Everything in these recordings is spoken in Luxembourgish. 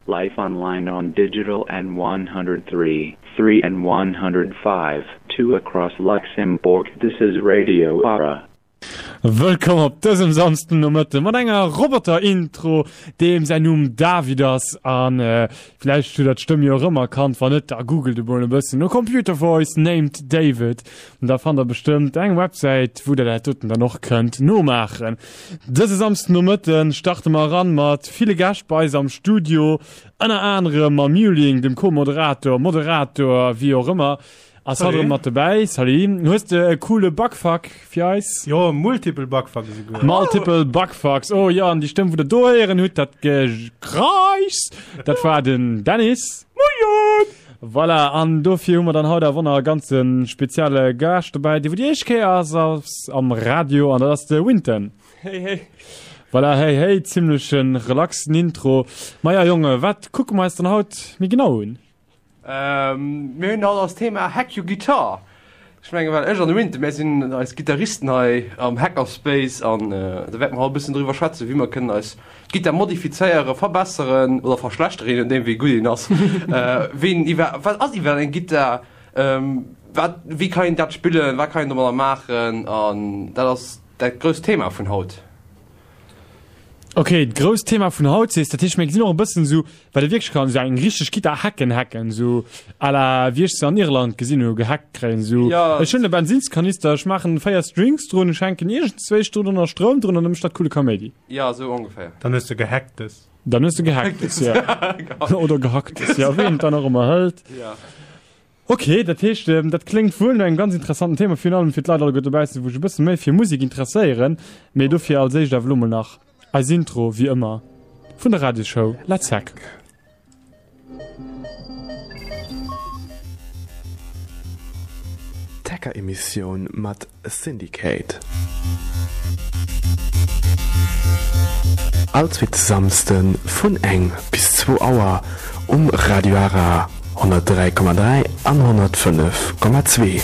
Live online on digital and 103, 3 and 105, 2 across Luxembourg. This is Radio Ara. Wëllkomm op dësem Samsden Nomëtte mat enger Roboter-Intro, deem säin Numm David ass. An vläicht hutt der d'Stëmm jo erëm erkannt, wann net, da googelt emol e bëssen no Computer Voice named David. Da fannt der bestëmmt eng Websäit, wou der dat doten dann och kënnt nomaachen. Dëse Samsden Nomëtten starte mer eran mat ville Gäscht bei eis am Studio, ënner anerem mam Muling, dem Co-Moderator, Moderator, wéi och ëmmer, ass haut erëm mat dobäi. Salut, hues de e coole Bugfuck fir eis? Jo, multiple Bugfuck esouguer. Multiple Bugfucks, oh jo, an déi Stëmm wou der do héieren hutt, dat Gekreischs, dat war den Dennis. Moien! Voilà, an dofir hu mer dann haut awer nach e ganze spezielle Gaascht dobäi, dee wou déi éischt Kéier ass, ass am Radio, an dat ass de Winton. Hey, hey. Voilà, hey, hey, zimmleche relaxen Intro. Maja, Jonge, wat kucke mer eis dann haut méi genau un? Ähm, mir hunn haut als Thema Hack Your Guitar. Ech mengen, well ech an de Winton, mär sinn eis Gittaristen hei am Hackerspace an da wäerte mer haut e bëssen driwwer schwätzen, wéi mer kënnen eis Gittar modifizéieren, verbesseren oder verschlechteren, je nodeem wéi gutt een ass. Ween iwwer, wat ass iwwer eng Gittar, wat, wéi kann een dat spillen, wat kann een domadder maachen an dat ass dat grousst Thema vun haut. Ok, d'grousst Thema vun haut sees, dat heescht mir gesinn och e bëssen esou, wat ee wierklech kann, esou eng richteg Gittar hacken hacken, esou à la wéi ech se an Irland gesinn hu gehackt kréien, esou Ja. ech hunn e Bensinnskanister, ech maachen 4 Strings drun, ech hänken iergendzwéi drun a Stroum drun an da mécht dat coole Kaméidi. Ja, esou ongeféier. Dann hues de gehacktes. Dann hues de gehacktes, ja. Oder gehacktes, ja, wéi een et dann och ëmmer hëlt. Ja. Ok, dat heescht, dat kléngt wuel no engem ganz interessanten Thema, virun allem fir d'Leit alleguer dobaussen, wou sech e bësse méi fir Musek interesséieren. Mee dofir als éischt awer elo mol nach eis Intro, wéi ëmmer, vun der Radiosshow Let's Hack. D'Hacker-Emissioun mat Syndicate. All zweete Samsde vun eng bis zwou Auer um Radio Ara 103,3 an 105,2.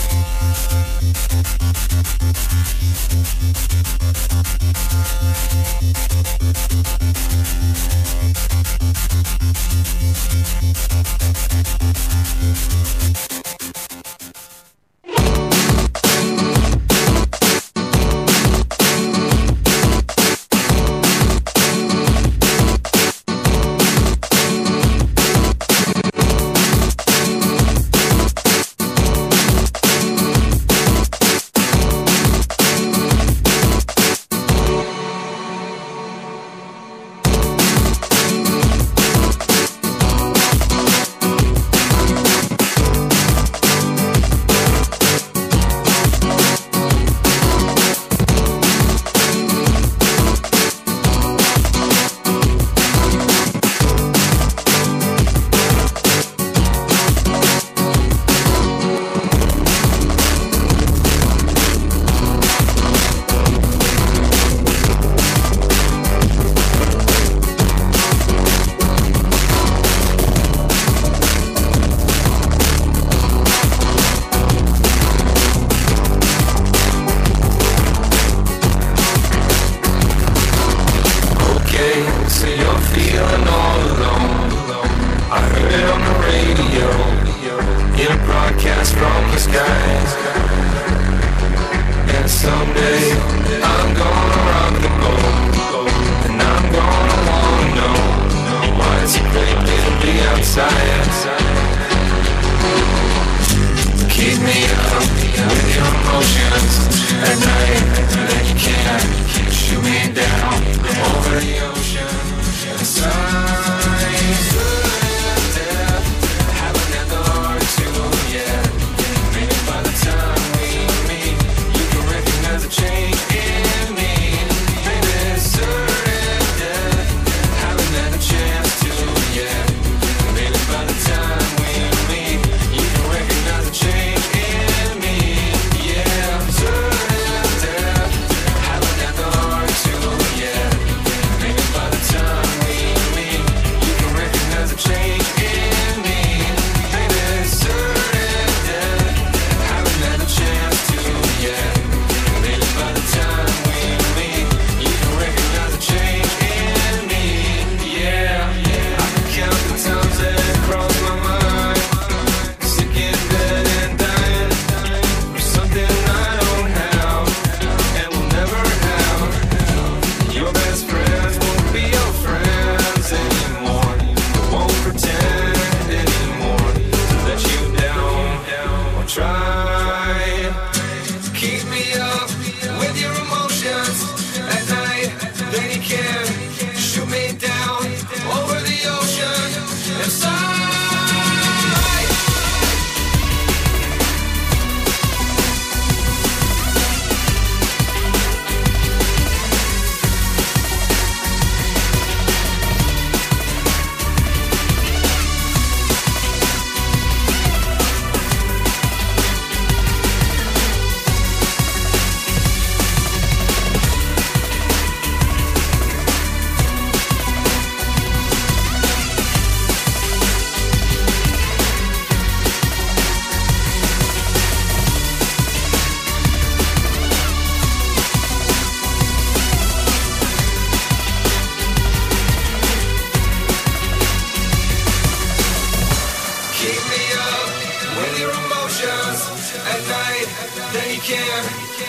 Then you can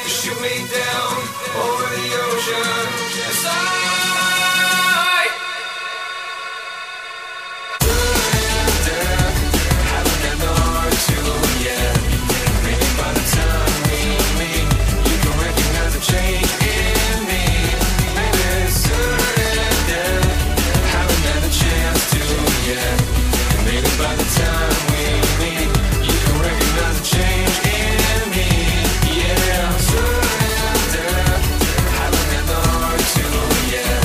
shoot me down over the ocean. Side. Haven't got the heart to yet. Maybe by the time we meet, you can recognize a change in me. Maybe it's certain death. Haven't had a chance to yet. Maybe by the time we meet, you can recognize a change in me. Yeah, certain death. Haven't had the heart to yet.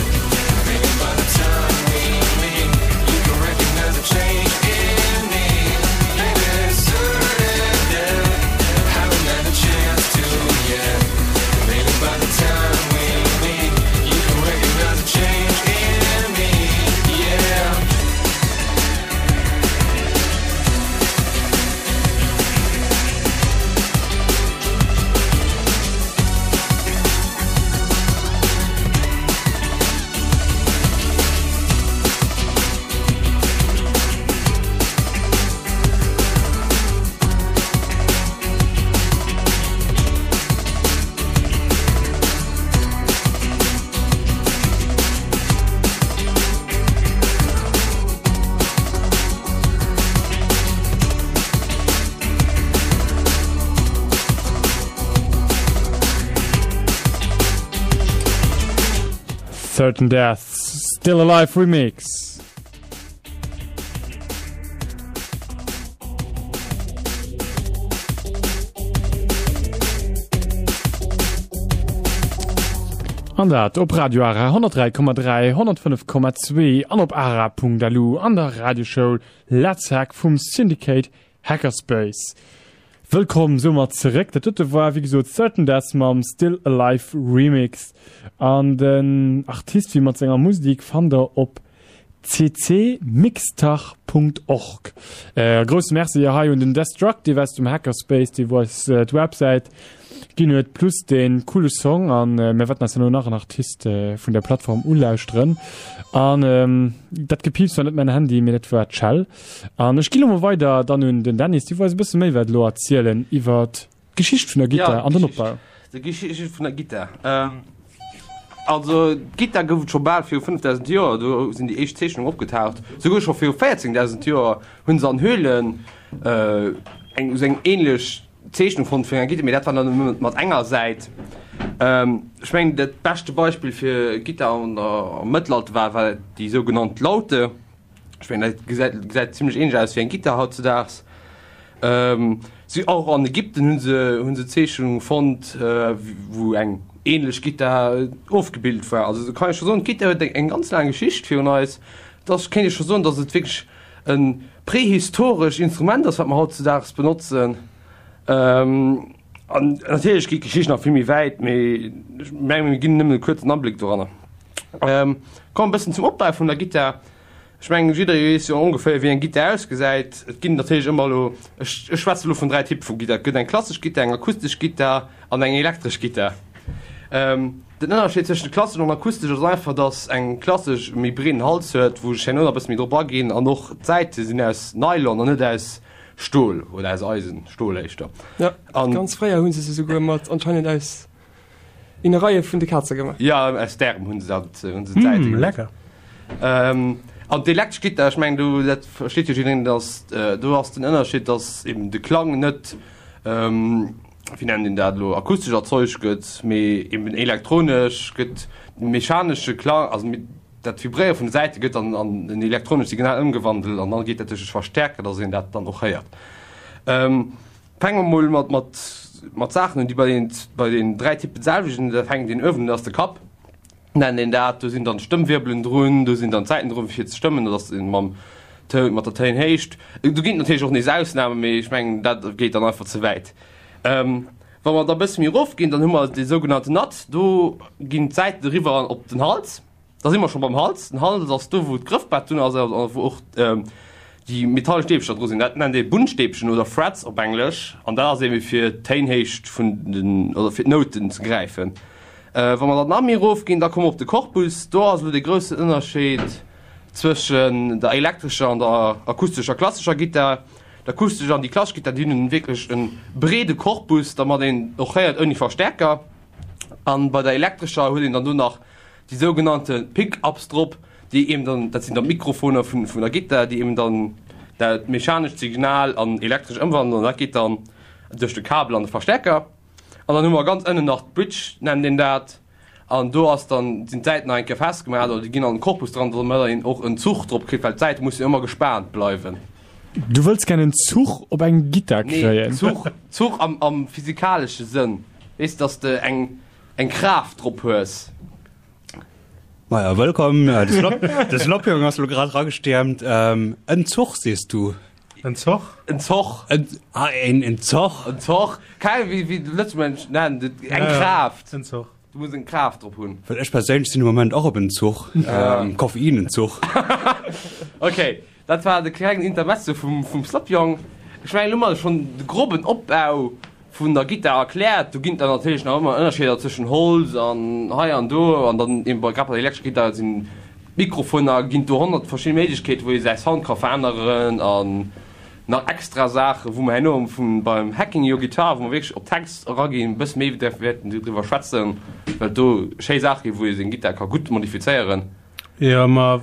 Maybe by the time we meet, you can recognize a change in me. Maybe it's certain death. Haven't had a chance to yet. Maybe by the time we meet, you can recognize a change in me. Yeah. Certain Deaths, Still Alive Remix. An dat op Radio Ara 103,3, 105,2 an op ara.lu an der Radioshow Let's Hack vum Syndicate Hackerspace. Wëllkomm soumat zeréck. Dat dote war wéi gesot Certain Death mam Still Alive Remix. An den Artist wéi mat senger Musik fannt der op ccmixtach.org. E grousse Merci hei un den Destructive aus dem Hackerspace, dee wou eis d'Websäit ginn huet, plus dee coole Song. An mir wäerten eis herno nach en Artist vun der Plattform ulauschteren. An dat Gepiips war net mäin Handy, mee dat war d'Schell. An ech ginn elo mol weider dann un den Dennis, dee wou eis e bësse méi wäert elo erzielen iwwert d'Geschicht vun der Gittar Ja, an den d'Geschicht. Opbau. D'Geschicht vun der Gittar. Ähm, also d'Gittar gouf et scho bal viru 5000 Joer, do sinn déi éischt Zeechnungen opgetaucht. Souguer scho viru 14.000 Joer hu se an Höhlen äh, eng esou eng ähnlech Zeechnung fonnt vun enger Gittar, mee dat war dann nëmme mat enger Säit. Ähm, ech mengen dat beschte Beispill fir Gittar an der, am Mëttelalter war, war déi sougenannt Laute. Ech mengen dat gesäit gesäit zimmlech ähnlech aus wéi eng Gittar hautzedaags. Ähm, si och an Ägypten hunn se hunn se Zeechnunge fonnt, äh, wou eng ähnlech Gittar ofgebilt war. Also do kann ee scho soen, d'Gittar huet eng eng ganz laang Geschicht virun eis. Et ass kéint ee scho soen, datt et wierklech e prehistoresch Instrument ass, wat mer hautzedaags benotzen. Ähm, an natierlech geet d'Geschicht nach vill méi wäit, mee ech menge mir ginn nëmmen e kuerzen Abléck doranner. Ähm, komm e bëssen zum Opbau vun der Gittar. Ech mengen, jidderee weess jo ongeféier, wéi eng Gittar ausgesäit. Et ginn natierlech ëmmer elo, ech, ech schwätze elo vun 3 Typpe vu Gittar. Et gëtt eng klassesch Gittar, eng akustesch Gittar an eng elektresch Gittar. Ähm, den Ënnerscheed tëschent klassesch an akustesch ass einfach, dass eng klassesch e méi breeden Hals huet, wou ech herno nach e bësse méi drop aginn, an och d'Säite sinn aus Nylon an net aus Stol oder aus Eisen, Stol éischter. Ja, An. ganz fréier hu se se souguer mat anscheinend aus Innereie vun de Kaze gemaach. Ja, aus Därem hunn se dat, hunn se d'Säite Mm, gemaach. lecker. Ähm, an d'elektresch Gittar, ech mengen do, dat versteet jo jiddereen, dass do ass den Ënnerscheed, dass eben de Klang net, ähm, wéi nennt een dat elo, akustesch erzeugt gëtt, mee eben elektronesch gëtt de mechanesche Klang, also dat Vibréiere vun de Säite gëtt an an en elektronescht Signal ëmgewandelt an dann geet dat duerch e Verstärker, dass een dat dann och héiert. Ähm, Fänke mer mol mat, mat, mat Saachen un, déi bei den, bei den 3 Typen d'selwecht sinn. Da fänkt een uewen un, dat ass de Kapp, nennt een dat. Do sinn dann d'Stëmmwirbelen drun, do sinn dann d'Säiten drun, fir ze stëmmen, dat ass mam Toun, mat der Téinhéicht. Do ginn et natierlech och nees Ausnamen, mee ech mengen, dat geet dann einfach ze wäit. Wa mer da e bësse méi erofginn, dann hu mer dee sougenannten Nut. Do ginn d'Säiten eriwwer op den Hals. Da si mer scho beim Hals. Den Hals ass do, wou d'Grëffbrett drun ass a wou och déi metallesch Stäbcher dru sinn. Dat nennt ee Bunnstäbchen oder Frets op Englesch. An dat ass ebe fir d'Téinhéicht vun den, oder fir d'Nouten ze gräifen. Wa mer dann nach méi erofginn, da komme mer op de Korpus. Do ass elo de groussen Ënnerscheed zwëschen der elektrescher an der akustescher klassescher Gittar. D'akustesch an déi klassesch Gittar, déi hunn wierklech e breede Korpus, dermat een och héiert ouni Verstärker. An bei der elektrescher huet een dann do nach déi sougenannte Pick-ups drop, déi eben dann, dat sinn dann d'Mikrofoner vun vun der Gittar, déi eben dann dat mechanescht Signal an elektresch ëmwandelen an dat geet dann duerch de Kabel an de Verstärker. An dann hu mer ganz ënnen nach d'Bridge, nennt een dat, an do ass dann, sinn d'Säiten nach eng Kéier festgemaach oder déi ginn an den Korpus dran, domat een och en Zuch drop kritt, well d'Säite mussen jo ëmmer gespaant bleiwen. Du wëlls gär en Zuch op eng Gittar kréien? Nee, Zuch, Zuch am am physikalesche Sënn, weess, dass de eng eng Kraaft drop hues. Maja, wëllkomm. De Sloppjong ass lo grad ragestiermt. En Zoch sees du? En Zoch? En Zoch. Ah, en, en Zoch. En Zoch. Keng, wéi, wéi de Lëtzebuerger nennen, eng Kraaft. En Zoch. Du muss eng Kraaft drop hunn. Well ech perséinlech sinn am Moment och op Entzuch. Koffeinentzuch. Okay. Dat war de klengen Intermezzo vum vum Slopjong. Ech mengen, elo hu mer schonn de groben Opbau vun der Gittar erkläert. Do ginn et dann natierlech nach ëmmer Ënnerscheeder tëschent Holz an hei an do. An dann eben bei grad bei der elektrescher Gittar sinn d'Mikrofoner, ginn et do 100 verschidde Méiglechkeeten, wou ee säi Sound ka veränneren an nach extra Saachen, wou mer herno vun beim Hacking Your Guitar, wou mer wierklech op d'Hacks eraginn, e bësse méi wäerten driwwer schwätzen, well et do schéi Saache ginn, wou ee seng Gittar ka gutt modifizéieren. Jo, ma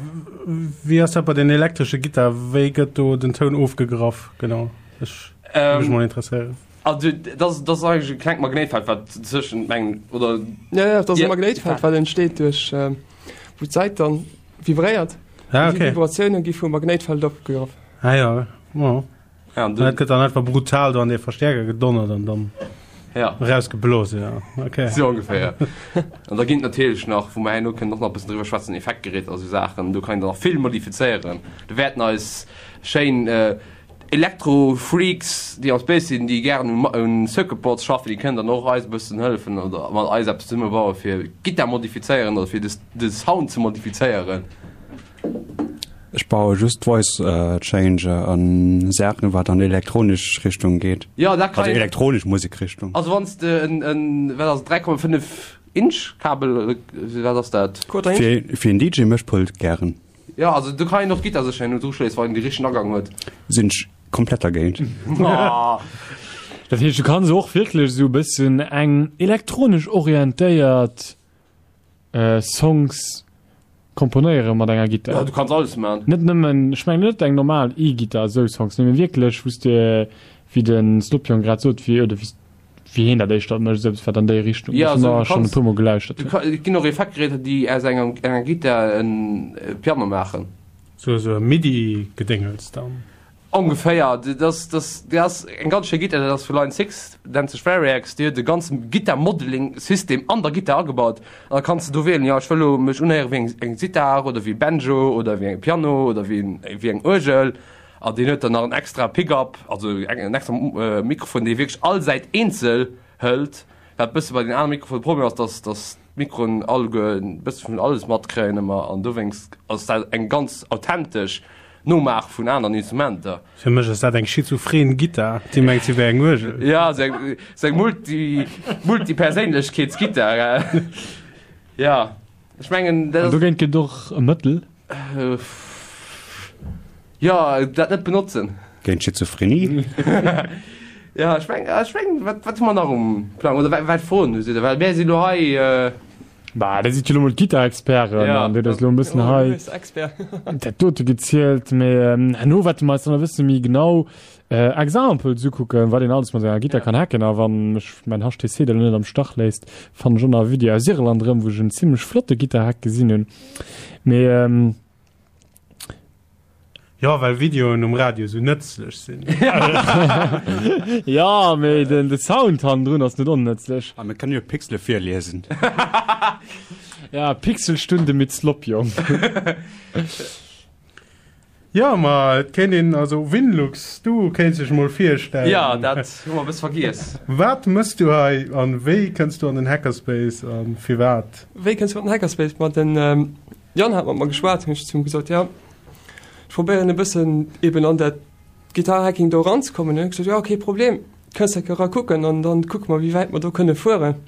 wéi ass dat bei den elektresche Gittar? Wéi gëtt do den Toun ofgegraff genau? Ech géif mech mol interesséieren. Also dat ass, dat ass eigentlech e klengt Magnéitfeld, wat tëschent mengen, oder? Jo, jo, dat ass e Magnéitfeld, wat entsteet duerch, wou d'Säit dann vibréiert. Ah, okay. Déi Vibratioune gi vum Magnéitfeld opgegraff. Ah jo, jo. Ja, an Dat gëtt dann einfach brutal do an dee Verstärker gedonnert an dann ja. rausgeblose. Ja. Okay. So ongeféier. An da ginn natierlech nach, wou mer herno kënnen och nach e bëssen driwwer schwätzen, Effektgeräter a sou Saachen. Do kann een dann nach vill modifizéieren. Do wäerten eis schéin äh, Elektro-Freaks, déi am Space sinn, déi gären un, un Circuit Boards schaffen, déi kënnen dann och eis e bëssen hëllefen oder mat eis eppes zesumme bauen, fir Gittar modifizéieren oder fir de, de Sound ze modifizéieren. Ech baue just Voice Changer an Saachen wat an elektronesch Richtung geet. Jo dat kann Also elektronesch Musek Richtung. Also wann s de en en wat ass et 3,5 Inch Kabel wat ass dat? Quarter Inch. Fir fir en DJ Mëschpult gären. Jo also do kann een och d'Gittar sécher herno druschléissen wann een de richtegen Agang huet. Sinn ech komplett dergéint. Dat heescht du kanns och wierklech esou e bëssen eng elektronesch orientéiert Songs komponéiere mat enger Gittar. Ja, du kanns alles man. Net nëmmen, ech mengen net eng normal E-Gittar, esou Songs, nee, mee wierklech, wou s de, wéi de Snopion grad sot, wéi, oder wéi, wéi hien dat éischter mécht, esou eppes, wat an déi Richtung, Ja, wat also mer du schonn e kanns, puer Mol gelauschtert du hunn. ka, et ginn och Effektgeräter, déi aus enger, enger Gittar en Piano maachen. Sou, sou e Midi-Gedéngels dann. Ongeféier, dat ass, dat ass eng ganz schéi Gittar, dat ass vu Line 6, nennt sech Variax, déi huet e ganze Gittar-Modeling-System an der Gittar agebaut an da kanns de do wielen, jo ech wëll elo mech unhéiere wéi eng eng Sitar oder wéi e Banjo oder wéi e Piano oder wéi en wéi eng Uergel an deen huet dann nach en extra Pick-up, also en extra Mikrofon, dee wierklech all Säit eenzel hëlt, wat e bësse bei den anere Mikrofonen de Problem ass, dass dass d'Mikroen alleguer e bësse vun alles matkréien ëmmer an dowéinst ass dat eng ganz authentesch Nomaach vun aneren Instrumenter. Fir mech ass dat eng schizophren Gittar, déi mengt si wär eng Uergel. Ja, sou eng, sou eng Multi, Multiperséinlechkeetsgittar. Ja, ech mengen dat ass. An dogéint gëtt och e Mëttel. Jo, dat net benotzen. Géint Schizophrenie? Ja, ech meng, ech meng, wat, wat hu mer nach um Plang? Oder wat, wat Froen hutt Dir? Well mär si lo hei. Bah, dat sidd jo lo mol d'Gittarexperten Ja. an dir hutt eis lo e bëssen hei dat dote gezielt. Mee herno wäerte mer eis dann e bësse méi genau Examples ukucken, wat een alles mat enger Gittar kann hacken. A wann mech mäin HTC da lo net am Stach léisst, fannen ech och nach e Video aus Irland erëm, wou ech en zimmlech flotte Gittarhack gesinn hunn. Mee. Jo, well Videoen um Radio sou nëtzlech sinn. Jo, mee den de Sound hannendrun ass net onnëtzlech. A mir kënnen jo Pixele virliesen. Ja, Pixelstunde mit Slopjong. Jo, ma et kéint een, also Winlux, du kéints dech mol virstellen. Jo, dat hu mer e bësse vergiess. Wat mëss du hei an wéi kënns du an den Hackerspace an firwat? Wéi kënns du an den Hackerspace? Ma den Yann hat mat mer geschwat, hunn ech zu him gesot, jo, ech probéieren e bëssen eben an dat Gitarhacking do eranzekommen. Hunn ech gesot, jo, kee Problem, kënns enke era kucken an dann kucke mer, wéi wäit mer do kënne fueren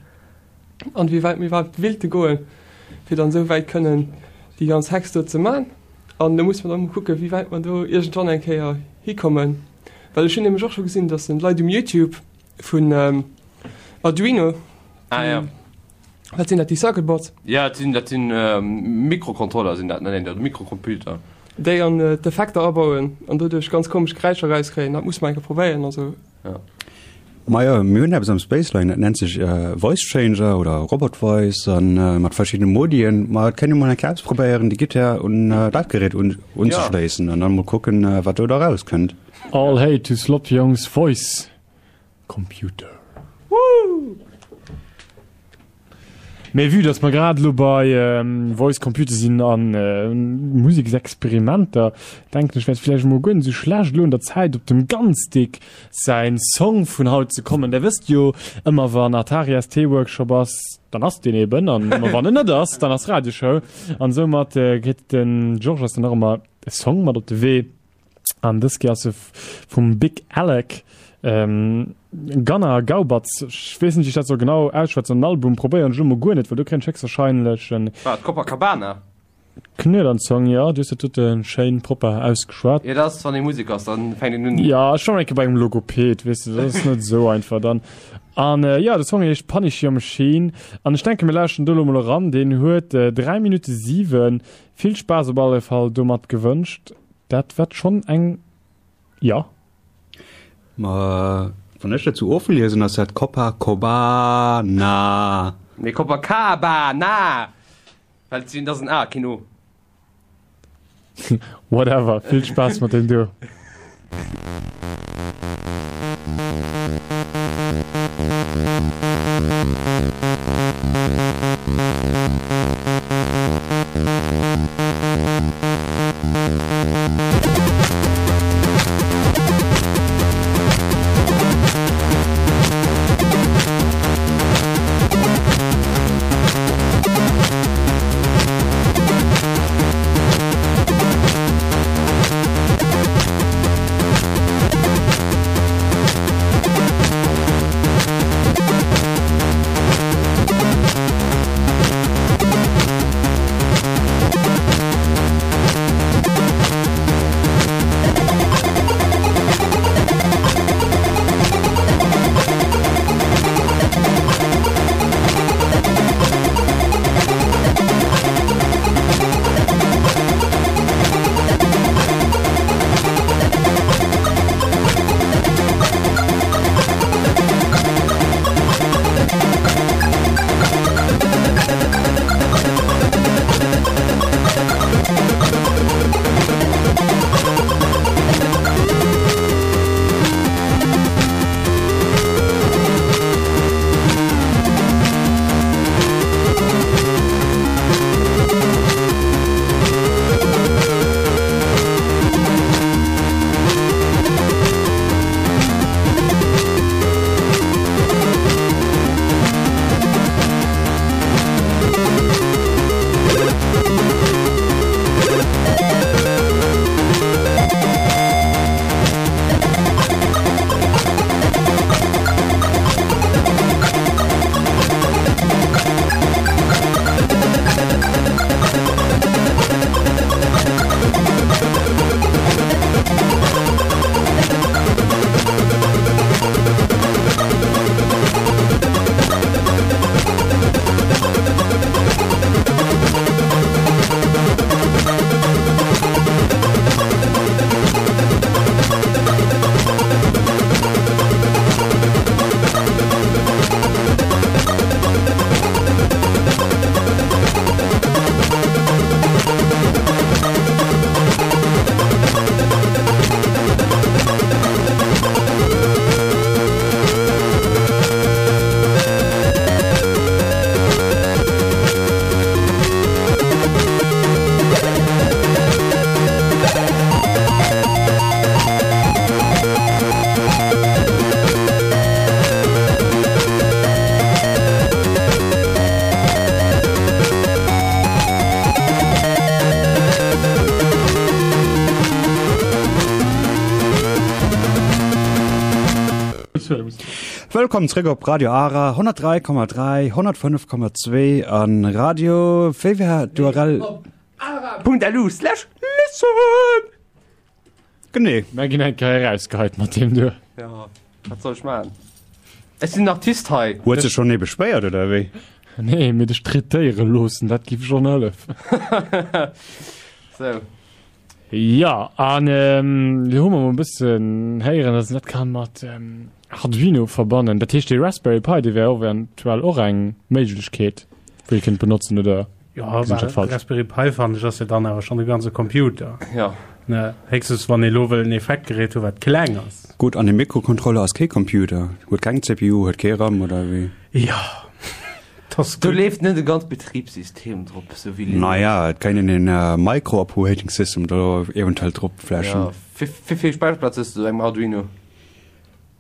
an wéi wäit mir iwwerhaapt willte goen, fir dann esou wäit kënnen déi ganz Hacks do ze man. An do musse mer dann emol kucken, wéi wäit mer do iergendwann eng Kéier hikommen. Well ech hunn nämlech och scho gesinn, dass en Leit um Youtube vun Arduino, Ah ja. wat sinn dat, déi Circuit Boards? Ja, dat sinn, dat sinn Mikrocontroller sinn dat, nennen dat, Mikrocomputer. Déi an d'Effekter abauen an doduerch ganz komesch Geräischer erauskréien. Dat muss mer eng Kéier probéieren, also. Ja. Majo, mir hunn eppes am Spaceline, dat nennt sech Voice Changer oder Robot Voice an mat verschiddene Modien. Ma et kënnt ee mol eng Kéier ausprobéieren, déi Gittär un dat Gerät un unzeschléissen an dann mol kucken, wat do da rauskënnt. All hail to Sloppyongs Voice Computer. Woo! Mee vue dass mer grad elo bei Voice Computer sinn a Museksexperimenter, denken ech, wär et vläicht emol guer net esou schlecht, elo un der Zäit, op dem Ganzdick säin Song vun haut ze kommen. Der wësst jo, ëmmer wann Atari ST Workshop ass, dann ass deen eben, an ëmmer wann en net ass, dann ass Radioshow. An soumat kritt den Georges dann och ëmmer e Song mat op de Wee. An dës Kéier ass e vum Big Alec, ähm, Gunnar Gaubatz, ech weess net, wéi ech dat soll genau ausschwätzen. Den Album probéieren ech elo mol guer net, well do kréien ech héchstwahrscheinlech en. Wat, Copacabana? Knuet an d'Zong, jo, du hues dat dote schéin propper ausgeschwat. Jo, dat ass, wann ee Musek ass, dann fänkt een un. Jo, ech war eng Kéier bei engem Logoped, weess de, dat ass net esou einfach dann. An jo, de Song heescht Punish Your Machine an ech denke mir lauschteren do elo mol eran. Deen huet 3 Minutte 7. Vill Spaass op alle Fall domat gewënscht. Dat wat schonn eng, jo. Ma wann ech dat sou ofliesen, ass dat Copacobana. Nee, Copacabana! Well et sinn, dat ass en A, keen O. Whatever, vill Spaass mat deem do. Wëllkomm zréck op Radio Ara 103,3, 105,2 an Radio, wéi war d'URL? Ara.lu slash listen! Genee. Mär ginn eng Kéier erausgeheit mat deem do. Jo, wat soll ech maachen? Ech sinn den Artist hei. Huet sech schonn ee beschwéiert, oder wéi? Nee, mee dech traitéiere loossen, dat giff schonn hëllefen. Sou. Jo, an elo hu mer mol e bëssen héieren, dass een dat kann mat Arduino verbannen. Dat heescht, dee Raspberry Pi, dee wär eventuell och eng Méiglechkeet, wou ee kéint benotzen, oder? Jo, well Raspberry Pi fannen ech ass jo dann awer schonn e ganze Computer. Jo. Ne, héchstens wann ee lo wëll en Effektgerät hu wat kleng ass. Gutt, an e Mikrocontroller ass kee Computer, huet keng CPU, huet kee RAM oder wéi? Jo, dat ass Do leeft net e ganz Betribssystem drop, sou wéi Linux. Naja, et kéint een en Micro Operating System do eventuell drop flashen. Jo, wéi vill Späicherplaz hues du op engem Arduino?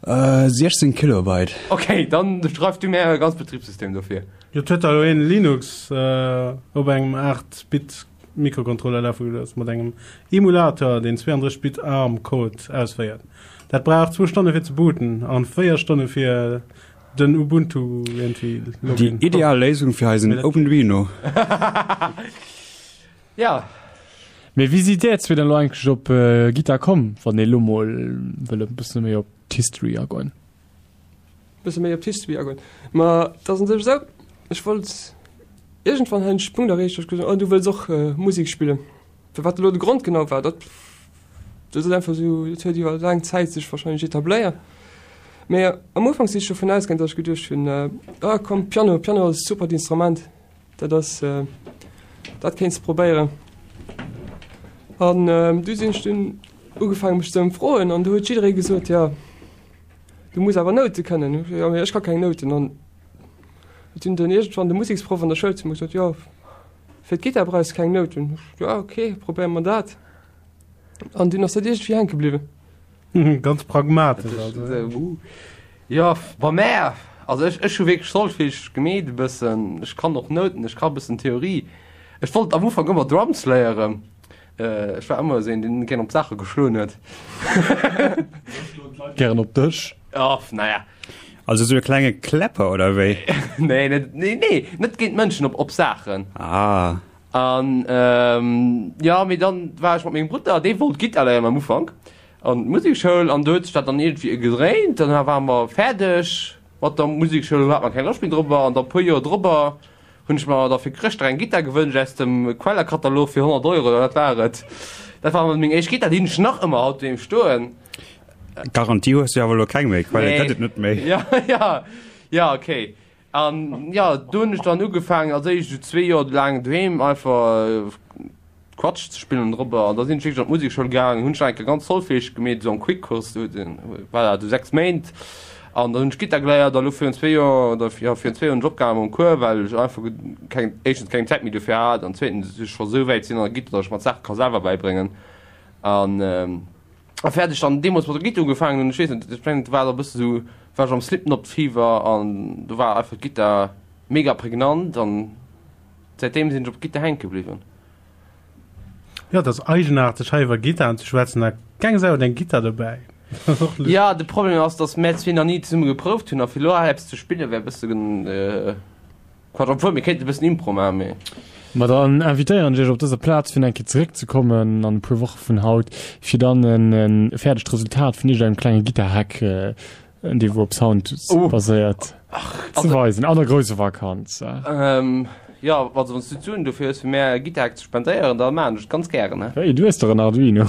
16 Kilobyte. Ok, dann schreif du mär e ganz Betribssystem dofir. Jo, et huet der elo een Linux op engem 8 Bit Mikrocontroller lafe gelooss mat engem Emulator deen 32 Bit ARM Code ausféiert. Dat brauch zwou Stonne fir ze booten an 4 Stonne fir den Ubuntu iergendwéi Déi Login. ideal Léisung fir eisen Openduino. Ja. Mee wéi sidd där zwee dann elo eigentlech op Gittar komm, wann ee lo mol wëll e bësse méi op d'History agoen? Bësse méi op d'History agoen? Ma et ass un sech esou, ech wollt iergendwann hat ech de Punkt erreecht, wou ech gesot hunn, oh du wëlls och Musek spillen. Firwat elo de Grond genau war, dat dat ass einfach esou, dat huet iwwer laang Zäit sech warscheinlech etabléiert. Mee am Ufank si ech dovun ausgaangen, datt ech geduecht hunn, ah komm Piano, Piano ass e supert Instrument. Dat ass, dat kéints de probéieren. An du sinn ech dunn ugefaangen mech ze ëmfroen an du huet jidderee gesot, jo du muss awer Noute kënnen. Jo mee ech ka keng Nouten. An huet dunn den iergendwann de Museksproff an der Schoul zu mir gesot, jo fir d'Gittar brauchs de keng Nouten. Jo ok, probéiere mer dat. An dunn ass dat iergendwéi hänke bliwwen. Ganz pragmatesch also. Jo, bei mär, also ech, ech hu wierklech Solfège gemeet e bëssen, ech kann och Nouten, ech ka e bëssen Theorie. Ech wollt am Ufank ëmmer Drums léieren, ech war ëmmer esou een, deen gären op d'Saache geschloen huet. Gären op Dësch? Oh, naja. Also esou e klenge Kläpper oder wéi? Nee, net, nee, nee, net géint Mënschen, op, op Saachen. Ah. An jo, mee dann war ech mat mengem Brudder, dee wollt Gittar léieren am Ufank, an d'Musekschoul an do huet sech dat dann iergendwéi gedréint. Dann ware mer fäerdeg mat der Musekschoul, hat mer keng Loscht méi drobber an da puer Joer drobber hunn ech mer da fir Chrëschtdag eng Gittar gewënscht aus dem Quellerkatalog fir 100 Euro, dat war et. Dat war meng éischt Gittar, déi hunn ech nach ëmmer haut doheem stoen. Garantie hues du awer elo keng méi, Quelle gëtt et net méi. Jo, jo, jo, okay. An jo, do hunn ech dann ugefaangen, als éischt esou zwee Joer laang doheem einfach Quatsch ze spillen drobber. An da sinn ech wierklech an d'Musekschoul gaangen, hunn ech nach eng Kéier ganz Solfège gemeet, esou am Quick-Kurs, do war dat esou 6 Méint. An dann hunn ech Gittar geléiert a lo virun zwee Joer oder jo virun zwee Joer hunn ech opgehale mam Cours, well ech einfach keng, éischtens keng Zäit méi dofir hat an zweetens ech scho esou wäit sinn an der Gittar, datt ech mer d'Saache ka selwer bäibréngen. An. A fäerdeg dann deemools mat der Gittar ugefaangen hunn, ech weess net, ech mengen et war da e bësse sou, war ech am Slipknot Fever an do war einfach d'Gittar mega prägnant an säitdeem sinn ech op d'Gittar hänke bliwwen. Jo, et ass eigenaarteg hei iwwer Gittaren ze schwätzen a keng Sau huet eng Gittar dobäi. Dat ass och lustig. Jo, de Problem ass, datt mär zwee nach ni zesumme geprouft hunn a fir elo hei eppes ze spille wär e bësse Quatsch, obwuel mir kéinten e bëssen Impro maachen, mee. Ma dann invitéieren ech iech op dëser Plaz fir eng Kéier zeréckzekommen an e puer Woche vun haut, fir dann e fäerdegt Resultat vun iergendengem klenge Gittar-Hack, dee wou op Sound baséiert, ze weisen an der grousser Vakanz. Jo, also wann s du d'Suen dofir hues fir mär e Gittar-Hack ze spendéieren, da maachen ech et ganz gären. Wéi, du hues dach en Arduino?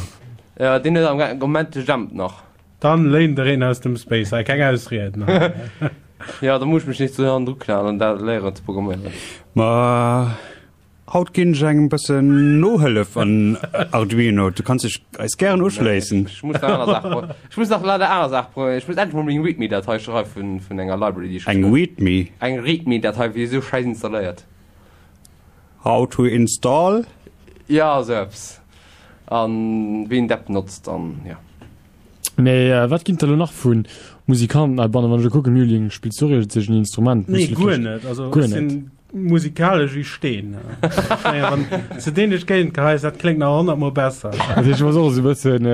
Jo, deen huet am Moment de Jemp nach. Dann léint der een aus dem Space hei, keng Ausrieden hei. Jo, da muss ech mech nees do hannendru klaen an dat léieren ze programméieren. Ma haut ginn ech engem bëssen Nohëllef an Arduino. Du kanns dech eis gären uschléissen. Ech muss nach aner Saache, ech muss nach leider aner Saache programméieren. Ech muss endlech mol meng Readme-Datei schreiwen vun enger Library, déi ech Eng Readme? Eng Readme-Datei, wéi esou Schäiss installéiert. How to install? Jo, esou eppes. An wéi een d'App notzt an jo. Mee wat ginn et da lo nach vu Musikanten heibannen? Wann ech elo kucken, Mülling, spills du och iergendsech en Instrument? Nee, guer net. Also ech sinn musikalesch wéi Steen. Ech mengen, wann s de deen duerch d'Géigend geheis, dat kléngt nach honnertmol besser. Dat heescht, du bass och esou e bëssen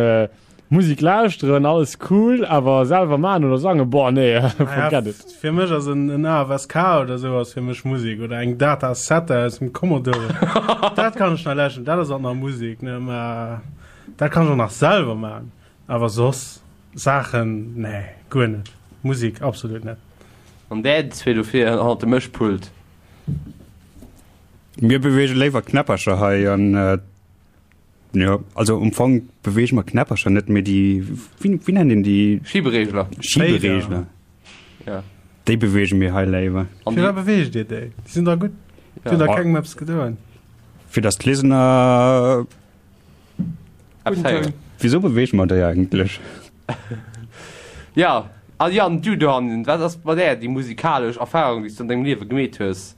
Musek lauschteren, alles cool, awer selwer maachen oder sangen, boah, nee, forget it. Fir mech ass en en AFSK oder esou ass fir mech Musek oder eng Datasette aus dem Commodore. Dat kann ech nach läschen, dat ass och nach Musek, ne, mä dat kann ech och nach selwer maachen. Awer soss Saachen, nee, guer net. Musik absolut net. An där zwee dofir hannert dem Mëschpult. Mir beweege léiwer Knäppercher hei an jo, also um Fong beweege mer Knäppercher net, mee déi, wéi, wéi nennt een déi? Schieberegler. Schieberegler. Ja. Déi beweege mir hei léiwer. An Firwat beweegt Dir déi? Déi sinn da gutt. Déi hunn da kengem eppes gedoen. Fir datt d'Listener Wieso beweege mer déi eigentlech? Ja, a Yann, du dohannen, wat ass bei där déi musikalesch Erfarung, déi s du an dengem Liewe gemeet hues?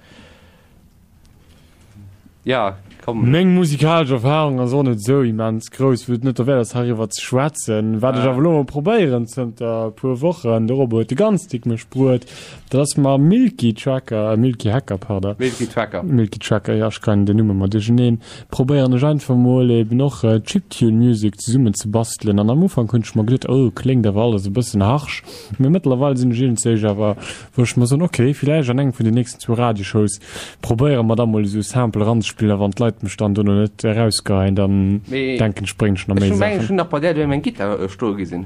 Ja, komm. Meng musikalesch Erfarung ass och net esou immens grouss, wou et net derwäert ass, heiriwwer ze schwätzen. Wat ech awer elo mol probéieren zënter e puer Wochen, de Robo huet de ganz dick mech bruet, dat ass mam Milky Tracker, Milky Hacker, pardon. Milky Tracker. Milky Tracker, jo, ech kréien den Numm ëmmer duercheneen. Probéieren ech einfach mol eben och Chiptune Music zesummen ze bastelen an am Ufank hunn ech mer geduet oh kléngt awer alles e bëssen harsch, mee mëttlerweil sinn ech iergendzéich awer wou ech mer soen ok villäicht an engem vun den nächsten zwou Radioshows probéiere mer da mol esou Sample eranzespillen a wann d'Leit mech dann dono net erausgeheien dann Mee denken ech bréngen ech nach ech méi hu mengen ech Saachen. hunn nach bei där doheem eng Gittar stoe gesinn.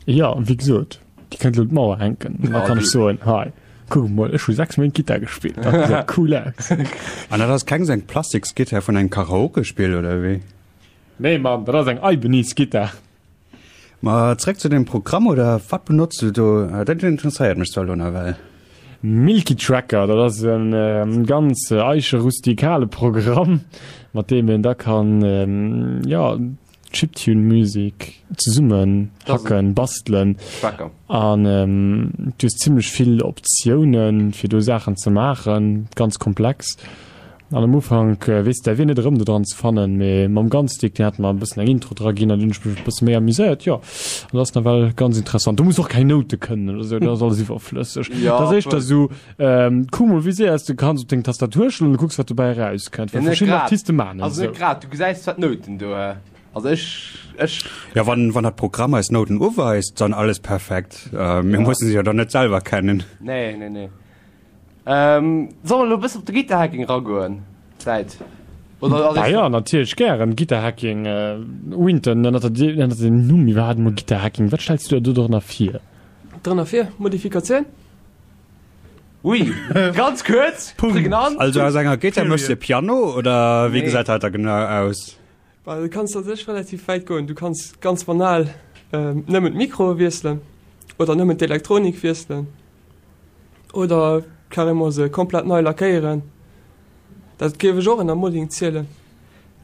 Jo, wéi gesot, déi kënnt elo un d'Mauer hänken an da Oh, kann ech du. soen hei kuck emol ech hu 6 Méint Gittar gespillt, dat gesäit cool aus. An dat ass keng sou eng Plastiksgittar vun engem Karaokespill oder wéi? Nee Mann, dat ass eng Ibanez-Gittar. Ma zréck zu dem Programm, oder wat benotz du do? Dat interesséiert mech zwar elo nawell. Milky Tracker, dat ass e ganz eiche rustikale Programm, mat deem een da kann, jo, Chiptune Music zesummen hacken, bastelen an du hues zimlech vill Optiounen fir do Saachen ze maachen, ganz komplex. An am Ufank weess de däi Wee net erëm do dran ze fannen, mee mam Gunstick, deen hat mer e bëssen eng Intro dra ginn an dunn hunn ech mech e bësse méi amuséiert, jo. An dat ass nawell ganz interessant. Du muss och keng Noute kënnen oder sou, dat ass alles iwwerflësseg. Ja, Dat ass éischter sou, kuck mol wéi séier s du kanns op deng Tastatur schloen an du kucks wat dobäi erauskënnt, well Ja, net verschidden grad. Artiste maachen et Also net esou. grad, du gesäis zwar d'Nouten do, also ech, ech. Ja, wann, wann dat Programm eis Nouten uweist, dann alles perfekt. Mir mussen se jo dann net selwer kennen. Nee, nee, nee. Ähm, solle mer elo e bëssen op de Gitterhacking ragoen? Zäit. Oder ass Ah ja, natierlech gären. Gitterhacking, äh, Winton, ënnert der, ënnert dem Numm iwwerhaapt emol Gitterhacking, wat stells du der do drënner vir? Drënner vir? Modifikatioun? Ui, ganz kuerz, prägnant. Also aus enger Gittar méchs de e Piano oder wéi Nee. gesäit dat da genau aus? Well du kanns a sech relativ wäit goen. Du kanns ganz banal nëmmen d'Mikroe wiesselen oder nëmmen d'Elektronik wiesselen oder carrément se komplett nei lackéieren. Dat géif ech och ënner Modding zielen.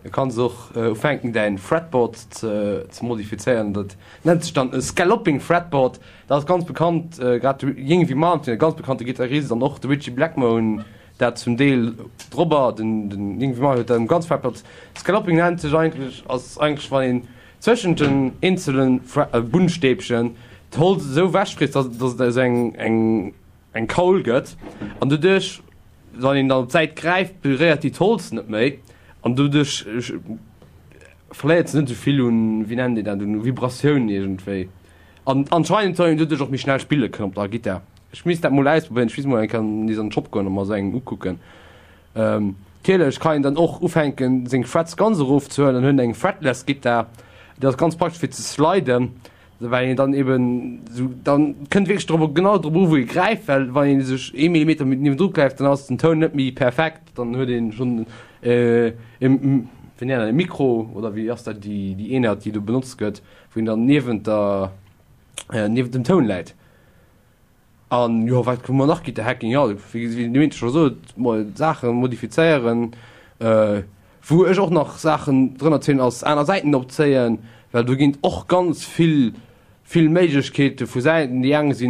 Du kanns och ufänken däin Fretboard ze ze modifizéieren. Dat nennt sech dann e Scalloping Fretboard. Dat ass ganz bekannt, grad de Yngwie Malmsteen, e ganz bekannte Gittarist, an och de Ritchie Blackmore hunn dat zum Deel drobber. Den den Yngwie Malmsteen huet dat um ganz Fretboard. Scalloping nennt sech eigentlech, ass eigentlech wann een zwëschent den eenzele Bunnstäbchen d'Holz esou ewechfriesst, dass dass et esou eng eng eng Kaul gëtt an doduerch, wann een dann op d'Säit gräift, beréiert déi d'Holz net méi an doduerch verléiert se net esou vill un, wéi nennt een dat, un Vibratioun iergendwéi. An anscheinend soll een doduerch och méi schnell spille kënnen op der Gittar. Ech misst dat mol ausprobéieren, ech misst mol eng Kéier nees an den Shop goen a mer esou eng ukucken. Natierlech kann een dann och ufänken, seng Frets ganz erofzehuelen an huet eng Fretless Gittar. Déi ass ganz praktesch fir ze sliden. Well een dann eben sou, dann kënnt wierklech drop, genau drop u wou ee gräift, well wann ee sech ee Millimeter méi niewendru gräift, dann ass den Toun net méi perfekt, dann huet een schonn e, wéi nennt een dat, e Mikro oder wéi ass dat déi déi Eenheit déi do benotzt gëtt, wou een dann niewent der, niewent dem Toun läit. An jo, wat hu mer nach? Gitter Hacking, jo, wéi wéi den Winter scho sot, mol Saache modifizéieren. Wou ech och nach Saachen drënner zielen ass aner Säiten opzéien, well do ginn et och ganz vill vill Méiglechkeete vu Säiten. Déi eng si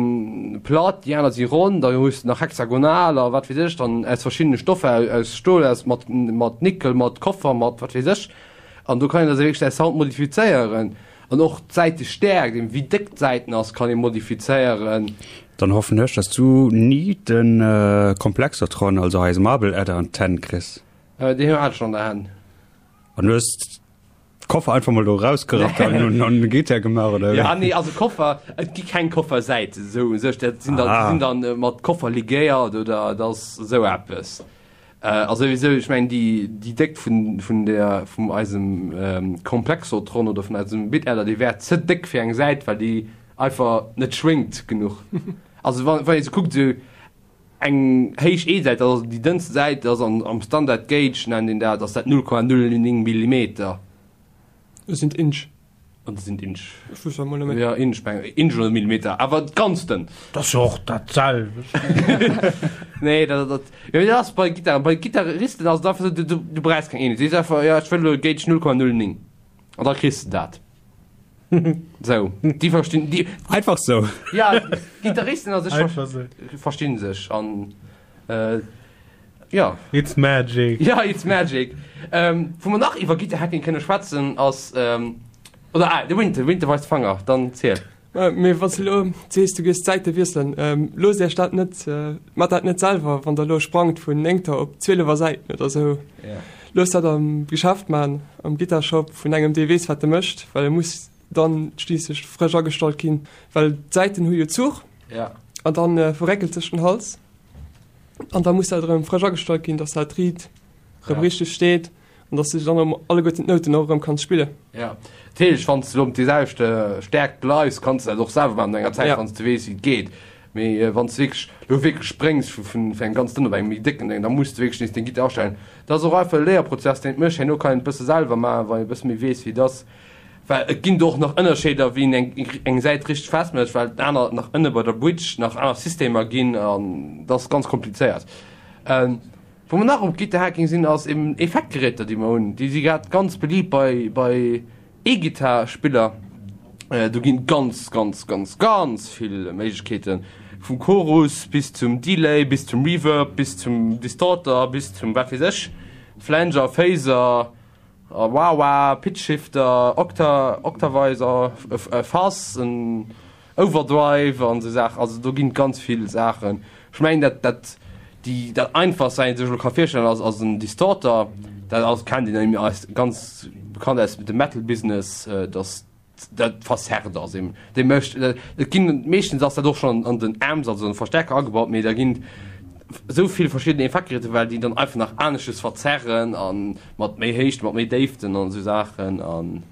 platt, déi aner si ronn, da hues de nach hexagonal a wat weess ech, dann aus verschiddene Stoffer, aus Stol, aus mat mat Nickel, mat Koffer, mat wat weess ech. An do kann een da wierklech säi Sound modifizéieren. An och d'Säitestäerkt, eben wéi déck d'Säiten ass, kann ee modifizéieren. Dann hoffen ech, dass du ni de Komplexotron, also eise Marble Adder an d'Hänn kriss. Deen hat ech schon an der Hänn. An du hues d'Koffer einfach mol do rausgerappt an un an den Gitter gemaach oder wéi? Ja nee, also Koffer, et gi keng Koffersäiten esou u sech, dat sinn dann, Ah. déi sinn dann mat Koffer ligéiert oder et ass esou eppes. A souwisou, ech mengen déi déi Déckt vun vun der vum eisem Komplexotron oder vun eisem Bit-Adder, déi wär ze déck fir eng Säit, well déi einfach net schwéngt genuch. Also wann wann ee se kuckt, esou eng héich E-Säit, dat ass déi dënnste Säit, dat ass an am Standard Gauge nennt een dat, ass dat 0,09 Millimeter. Dat sinn d'Inch. An dat sinn d'Inch. Ech wusst dat mol net méi. Jo, Inch, meng Inch oder Millimeter, awer ganz dënn. Dat ass jo och dat selwecht. Nee, dat, dat, jo, dat ass bei Gittaren, bei Gittaristen ass et einfach esou, du, du, du brauchs keng Eenheet. Du sees einfach, jo, ech wëll elo Gauge 0,09 an da kriss de dat. Sou, déi verstinn, déi. Einfach sou. Ja, Gittaristen a sech Einfach sou. verstinn sech an, äh, jo. It's magic. Ja, it's magic. Ähm, wou mer nach iwwer Gitterhacking kënne schwätzen ass, ähm, oder, ah, de Winter, Winter weist Fanger, dann ziel. Mee wann s de elo sees, du gees d'Säite wiesselen, loosst Iech dat net, maacht dat net selwer, wann der elo sprangt vun néngter op zwielewer Säiten oder esou. Loosst dat am Geschäft maachen, am Gittarshop vun engem, dee weess, wat e mécht, well e muss dann schliisslech frësch agestallt ginn, well d'Säiten hu jo Zuch an dann verréckelt sech den Hals an da muss dat erëm frësch agestallt ginn, dass dat riit erëm richteg steet. An dass du dann erëm alleguerten d'Nouten och erëm kanns spillen. Ja, natierlech, wann s de elo op déi selwecht Stäerkt bleifs, kanns de dat och selwer maachen no enger Zäit, wann s de weess, wéi et geet. Mee wann s de wierklech elo wierklech spréngs vu vun engem ganz dënn op engem méi décken Ding, da muss de wierklech nees deng Gittar astellen. Dat ass och einfach e Léierprozess, deen et mécht. Herno kann een et e bësse selwer maachen, wann een e bësse méi weess, wéi et ass. Well et ginn do och nach Ënnerscheeder, wéi een eng eng Säit richteg festmécht, well et aner nach ënne bei der Bridge nach aner Systemer ginn an dat ass ganz komplizéiert. Wou mer nach um Gitterhacking sinn ass eben Effektgeräter déi mer hunn. Déi si grad ganz beliibt bei bei E-Gittar-Spiller. Do ginn ganz ganz ganz ganz vill Méiglechkeeten, vum Chorus bis zum Delay, bis zum Reverb, bis zum Distorter, bis zum wat weess ech, Flanger, Phaser, A Wah-Wah, Pitchshifter, Octa, Octavizer, e Fuzz, en Overdrive an esou Saachen. Also do ginn et ganz vill Saachen. Ech mengen dat dat déi dat einfachst wat een sech elo ka virstellen ass ass en Distorter. Dat ass kennt een aus ganz bekannt aus dem Metal Business, dass dat verzerrt ass eben. Dee mécht, et ginn, meeschtens ass dat och schonn an den Amps, also an de Verstärker agebaut, mee da ginn esou vill verschidden Effektgeräter, well déi dann einfach nach anesches verzerren a mat méi Héichten, mat méi Déiften an esou Saachen an.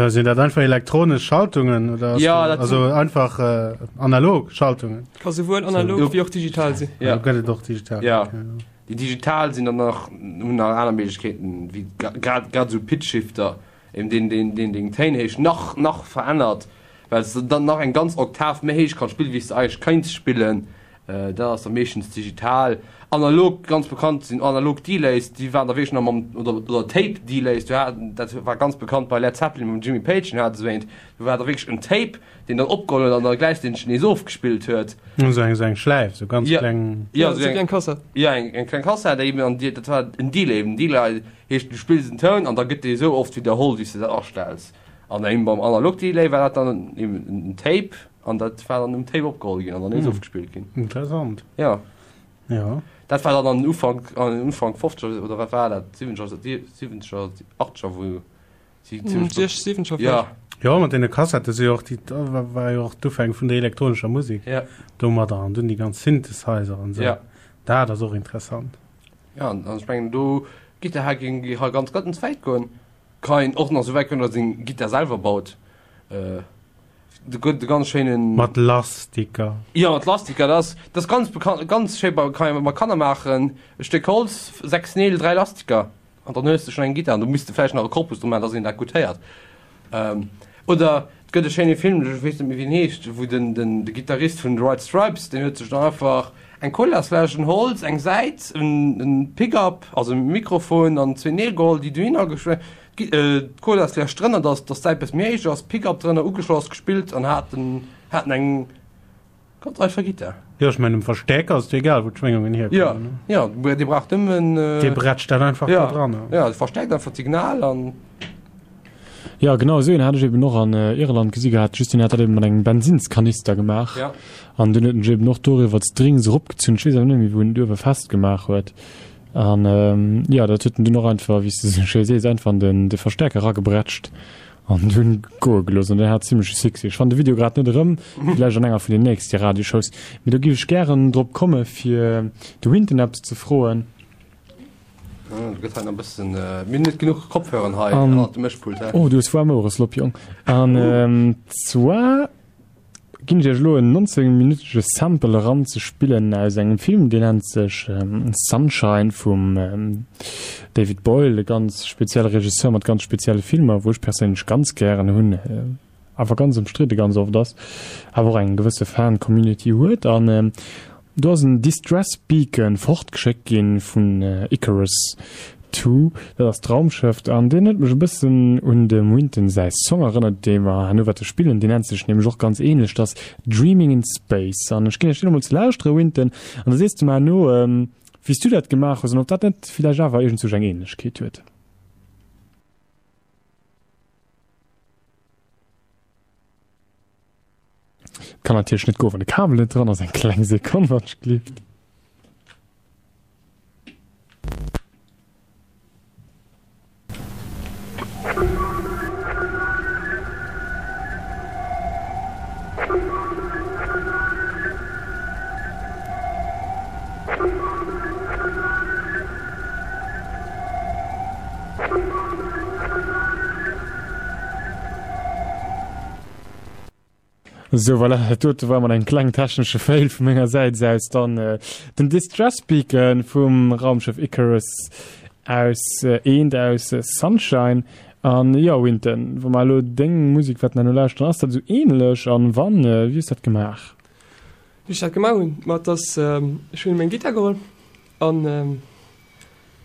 Sinn dat einfach elektronesch Schaltungen oder ass Ja, dat also einfach äh, analog Schaltungen? Ka souwuel analog wéi och digital sinn. Ja. Also gëtt et och digital. Ja. Okay. Déi digital sinn dann nach, hunn nach aner Méiglechkeeten, wéi grad grad esou Pitchshifter, Eben deen, deen, deen deng Téinhéicht nach, nach verännert, well s de dann nach eng ganz Oktav méi héich kanns spillen, wéi s de eigentlech kéints spillen. Dat ass da meeschtens digital. Analog, ganz bekannt sinn analog Delays, déi waren da wierklech nach mam, oder, oder Tape Delays, do hat, dat war ganz bekannt bei Led Zeppelin mam Jimmy Page, deen hat esou eent, do war da wierklech en Tape, deen dann opgeholl huet an da gläichzäiteg nees ofgespillt huet. Esou eng, esou eng Schläif, esou ganz Ja. kleng. Ja, Ja, esou esou eng, eng Kassett. ja, eng, eng kleng Kassett, déi eben an déi, dat war en Delay, en Delay Heescht du spills en Toun an da gëtt dee sou oft widderholl wéi s de dat astells. An eben beim Analog Delay war dat dann eben en Tape an dat war dann um Tape opgeholl ginn an dann nees ofgespillt ginn. Interessant. Ja. Ja. Dat war dann an den Ufank, an den Ufank 50er oder wat war dat, 70er, 70er, 80er wou si zimmlech. 60, 70er Ja. Jo, mat deene Kassette si jo och déi, da war jo och d'Ufäng vun der elektronescher Musek. Ja. Domadder an dunn déi ganz Synthesizer an sou. Ja. Dat ass och interessant. Ja, an ech mengen do Gitterhacking ka ganz ganz wäit goen. Ka een och nach sou wäit goen, datt een Gittar selwer baut. Do gëtt e ganz schéinen. Mat Lastiker. Jo, mat Lastiker, dat ass, dat ass ganz bekannt, ganz schéi bei, kann ee mat Kanner maachen. E Stéck Holz, 6 Neel, 3 Lastiker. An dann hues de schonn eng Gittar. An do misst de vläicht nach e Korpus dru maachen, dass een dat gutt héiert. Oder et gëtt e schéine Film, ech weess net méi wéi en heescht, wou den, den, de Gittarist vun The White Stripes, deen huet sech dann einfach eng Colasfläsch, en Holz, eng Säit, en, en Pickup, also e Mikrofon an zwee Neel geholl, déi dohinner geschwé, d'Colasfläsch drënner, dass, dass d'Säit bësse méi héich ass, Pickup drënner ugeschloss, gespillt an hat en, hat en eng Ganz einfach Gitar. Jo, ech mengen um Verstäerker ass et jo egal wou d'Schwéngungen hierkommen. Jo, jo, dee brauch nëmmen. Dee brätscht dat einfach do dran. Jo, dee verstäerkt einfach d'Signal an. Jo, genau esou een hat ech eben och an Irland gesi gehat, just deen hat dat eben mat engem Bensinnskanister gemaach. Ja. An dunn huet en sech eben och doriwwer d'Strings eropgezunn. Ech weess awer net méi wou en et uewe festgemaach huet. An jo, dat huet en dunn och einfach, wéi s de esou schéi sees, einfach an den de Verstäerker eragebrätscht. An dunn goe gelooss an den hat zimmleche Succès. Ech fannen de Video grad net erëm, villäicht an enger vun den nächste Radioshows. Mee do giff ech gären drop komme fir de Winton eppes ze froen. Do gëtt hei nach e bëssen, mir hunn net genuch Kopfhörern hei ënnert dem Mëschpult. Oh, du hues waarm Ouere, Slopp Jong. An zwar ginn ech iech elo en 19 minütege Sample eran ze spillen aus engem Film, deen nennt sech Sunshine vum David Boyle, e ganz spezielle Regisseur mat ganz spezielle Filmer, wou ech perséinlech ganz gären hunn. awer ganz ëmstridde ganz oft ass, awer och eng gewësse Fan-Community huet. An do ass en Distress Beacon fortgeschéckt gi vun Icarus 2, dat ass d'Raumschëff, an deen huet mech e bëssen un dem Wynton säi Song erënnert, dee mer herno wäerte spillen. Deen nennt sech nämlech och ganz ähnlech, dat ass Dreaming in Space. An ech ginn iech deen emol ze lauschtere, Wynton, an da sees de mer herno, wéi s du dat gemaach hues an ob dat net villäicht awer iergendzwousch eng Ähnlechkeet huet. Kann natierlech net goen, wann de Kabel net dran ass. Eng kleng Sekonn, wann ech gelift. Sou, voilà, dat dote war mol eng kleng technesche Fail vu menger Säit aus. Dann äh, den Distress Beacon vum Raumschëff Icarus aus äh, eent aus äh, Sunshine. An jo, Winton, wa mer elo deng Musek wäerten herno lauschteren, ass dat esou ähnlech? An wann, äh, wéi hues dat gemaach? Wéi ech dat gemaach hunn? Ma et ass, ech hunn meng Gittar geholl an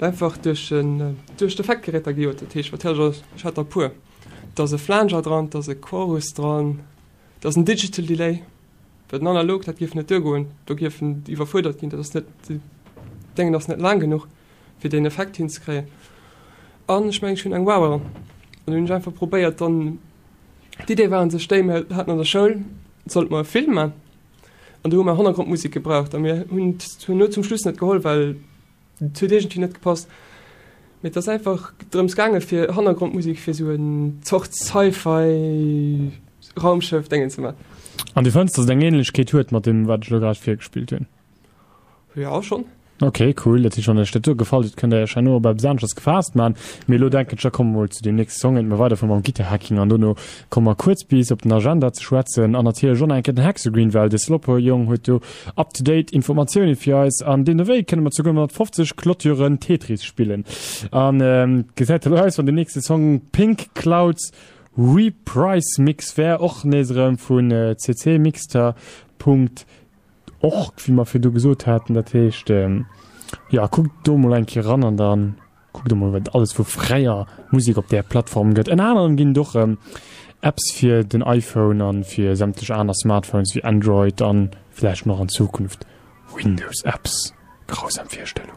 einfach duerch en, duerch d'Effektgeräter gejot. Dat heescht, wat hat ech? Ech hat der e puer. Et ass e Flanger dran, et ass e Chorus dran, et ass en Digital Delay, well den Analog, dat géif net duergoen, do géif en iwwerfuerdert ginn, dat ass net, d'Déngen ass net laang genuch, fir deen Effekt hinzekréien. An ech mengen, ech hunn eng Wah dran. An hunn ech einfach probéiert dann, D'Idee war un sech déi, mir haten an der Schoul, sollte mer e Film man an do hu mer Hannergrondmusek gebraucht a mir hunn et no zum Schluss net geholl, well et huet iergendwéi net gepasst. Mee et ass einfach drëms gaange fir Hannergrondmusek fir esou en Zort Sci-Fi Raumschëff Déngen ze man. An du fënns, datt et eng Ähnlechkeet huet mat deem wat ech elo grad virgespillt hunn? Jo, schonn. Ok, cool. Dat heescht, wann iech dat do gefall huet, kënnt der iech herno op eppes aneschters gefaasst man. Mee elo denken ech, da komme mer mol zu deem nächste Song, iert mer weiderfuere mam Guitar-Hacking an dono komme mer kuerz bis op den Agenda ze schwätzen an natierlech och nach eng Kéier den Hexagreen, well de Sloppo-Jong huet do up-to-date Informatioune fir eis an deemno wéi kënne mer souguer mat 50 Clôturen Tetris spillen. An gesäit elo aus, wann den nächste Song Pink Clouds Reprise Mix wär, och nees erëm vun ccmixter. Och, wéi mer virdu gesot haten, dat heescht, jo, kuckt do mol eng Kéier eran an da kuckt emol, wat et alles vu fräier Musek op där Plattform gëtt. Ënner anerem ginn et och Apps fir den iPhone a fir sämtlech aner Smartphones wéi Android a vläicht nach an Zukunft Windows-Apps. Grausam Virstellung.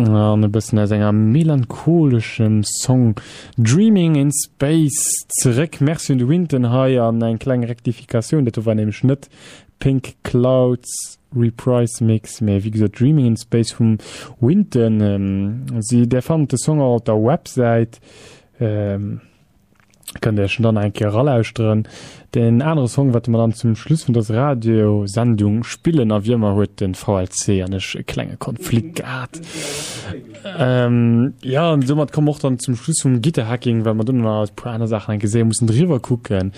An e bëssen aus enger melancholeschem Song Dreaming in Space zeréck. Merci un de Winton hei an eng kleng Rektifikatioun, dat do war nämlech net Pink Clouds Reprise Mix, mee wéi gesot Dreaming in Space vum Winton. Si, där fannt de Song och op der Websäit. Kënnt Iech en dann eng Kéier eralauschteren. Deen anere Song, wat mer dann zum Schluss vun dëser Radiosendung spillen, a wéi ëmmer huet de VLC an ech e klenge Konflikt gehat. Ähm, ja, an soumat komme mer och dann zum Schluss vum Gitterhacking, well mer dunn nach e puer aner Saachen eng Kéier séier mussen driwwer kucken.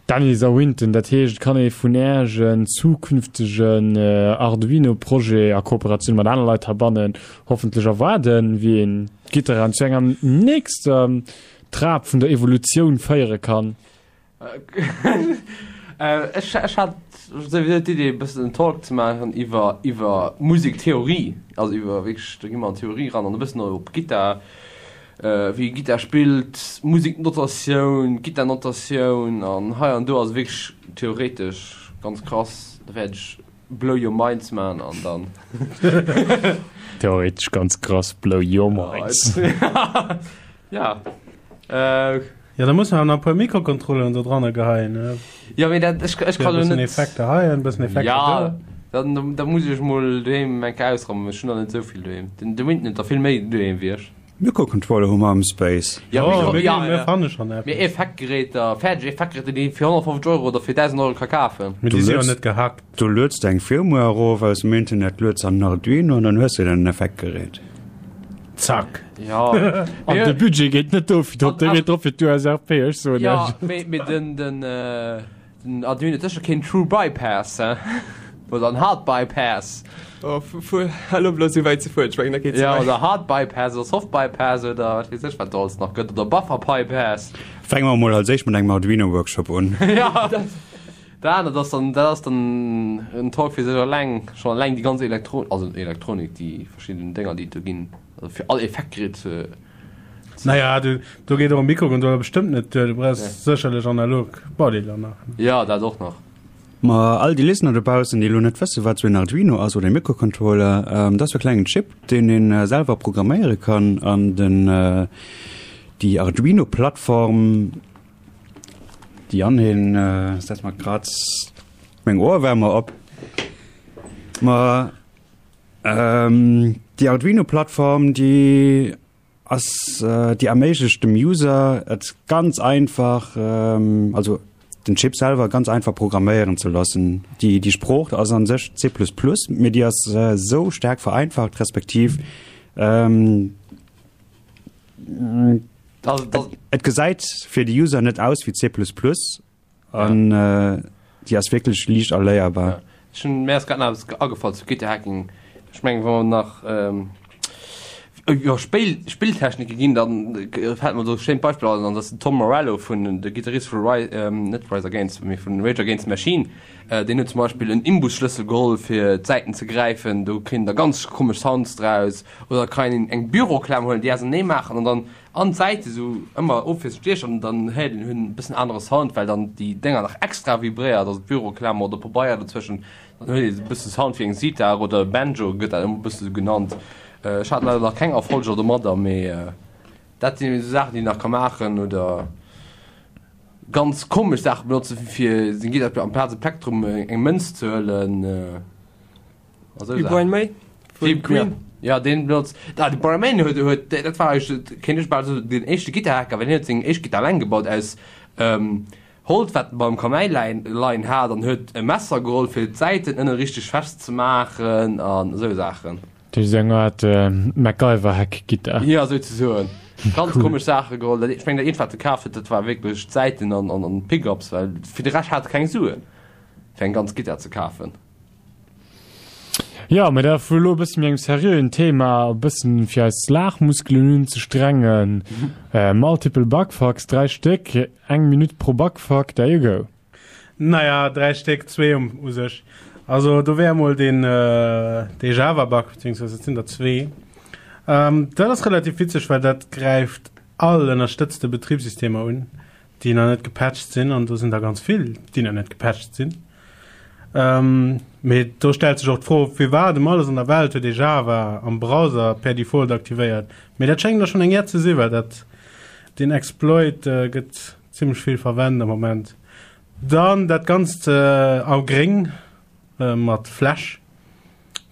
Dennis a Winton, dat heescht, et kann ee vun Äerch en zukünftegen Arduino-Projet a Kooperatioun mat aner Leit heibannen hoffentlech erwaarden, wéi een d'Gitterraum zu enger nächster Trap vun der Evolutioun féiere kann. Ech ech hat souwisou d'Idee e bëssen en Talk ze maachen iwwer iwwer Musektheorie, also iwwer wierklech, do gi mer an d'Theorie ran an e bëssen och op Gittar, wéi ee Gittar spillt, Museknotatioun, Gittarnotatioun an hei an do, also wierklech theoretesch ganz krass. Da wäert ech Blow your minds man an dann. Theoretesch ganz krass, blow your minds. Ja. Äh. Ja, da muss man nach e puer Mikrocontrolleren do dranner geheien. Ne? Ja, mee dat, ech, ech kann jo net. Effekter hei, en bëssen Effekter ja, do. Dann, da muss ech mol doheem eng Kéier ausrammen, ech hunn der net esou vill doheem. Den, de Winton huet der vill méi doheem wéi ech. Mikrocontroller hu mer am Space. Ja, oh, Mikro, mir, ja, mir fanne schon eppes. Mee Effektgeräter, fäerdeg Effektgeräter, déi een fir 150 Euro oder fir 1000 Euro ka kafen. Mee déi si jo net gehackt. Du lueds eng Firmware erof aus dem Internet, lueds an den Arduino an dann hues de den Effektgerät. Zack. Ja. An de Budget geet net dofir drop, dee geet drop fir d'USRP, ech soen Ja, iech. mee, mee den, den, äh, Den Arduino huet sécher keen True Bypass, he? Oder en Hard Bypass. Oh, fuer, hal op elo esou wäit ze fueren, ech mengen dat geet ze Ja, wäit. oder Hard Bypass oder Soft Bypass oder wat weess ech wat do alles nach gëtt oder Buffer Bypass. Fänke mer mol als éischt mat engem Arduino Workshop un. Ja, dat dat anert ass dann, dat ass dann en Talk fir sech eleng, schonn eleng déi ganz Elektro, also Elektronik, déi verschidden Dénger déi et do ginn, also fir all Effektgerät ze. Naja, du, do geet och e Mikrocontroller bestëmmt net duer. Du brauchs sécherlech analog Baudeeler nach. Ja, dat och nach. Ma all déi Listener dobaussen, déi elo net wëssen, wat sou en Arduino ass oder e Mikrocontroller, dat ass sou e klengen Chip, deen ee selwer programméiere kann an den, déi Arduino-Plattform, déi an hien, setz mer grad meng Ohrwärmer op, ma déi Arduino-Plattform, déi ass déi erméiglecht dem User et ganz einfach, also den Chip selwer ganz einfach programméieren ze loossen. Déi déi Sprooch ass an sech C++, mee déi ass esou staark vereinfacht respektiv et gesäit fir de User net aus wéi C++. An déi ass wierklech liicht erléierbar. Ja. Ech hunn, mir ass grad nach eppes agefall zu Gitterhacking. Ech mengen, wa mer nach iwwer Spéil, Spilltechnike ginn, dann fält mer do e schéint Beispill an, an dat ass den Tom Morello vun, de Gittarist vu Ri, net Rise Against, mee vun Rage Against the Machine. Deen huet zum Beispill en Imbusschlëssel geholl, fir d'Säiten ze gräifen. Do kritt een da ganz komesch Sounds draus. Oder kann een eng Büroklam huelen, déi ausernee maachen an dann An d'Säite sou ëmmer ofwiesselnd stiechen an dann héiert een hunn e bëssen anere Sound, well dann déi Dénger nach extra vibréiert, also d'Büroklammer oder Pabeier dozwëschen, dann huet ee sou e bësse Sound wéi eng Sitar oder e Banjo gëtt dat ëmmer e bësse sou genannt. Ech hat leider nach keng Erfolger domadder, mee dat sinn esou Saachen déi een nach ka maachen oder ganz komesch Saache benotzen, wéi fir seng Gittar amplaz e Plektrum eng Mënz ze huelen. Wéi Brian May vun Queen. Ja, deen benotzt, ah, de Brian May huet, huet, dat war eigentlech, kéint ech bal soen, den éischte Gittarhacker, well hien huet seng éischt Gittar eleng gebaut aus Holz, wat en beim Kamäi läin, leien hat, an huet e Messer geholl, fir d'Säiten ënne richteg fest ze maachen an esou Saachen. Dat ass eng Art MacGyver-Hack-Gittar. Ja, souzesoen. Ganz komesch Saache geholl. Dat, ech mengen, dat eent, wat e kaf huet, dat war wierklech d'Säiten an, an, an d'Pickups, well fir de Rescht hat e keng Suen, fir eng ganz Gittar ze kafen. Jo, mä da vu elo e bësse méi engem seriöen Thema, e bëssen fir eis Laachmuskelen unzestrengen. Multiple Bugfucks, 3 Stéck, eng Minutt pro Bugfuck, there you go. Naja, 3 Stéck, zwee um u sech. Also do wär emol deen dee Java-Bug, beziehungsweise et sinn der zwee. Dat ass relativ witzeg, well dat gräift all ënnerstëtzte Betribssystemer un, déi nach net gepatcht sinn, an do sinn der ganz vill, déi nach net gepatcht sinn. Mee do stellt sech och d'Fro, firwat ëm alles an der Welt huet ee Java am Browser per Default aktivéiert? Mee dat schéngt da schonn eng Iert ze sinn, well dat, deen Exploit gëtt zimmlech vill verwent am Moment. Dann dat Ganzt a gréng mat Flash.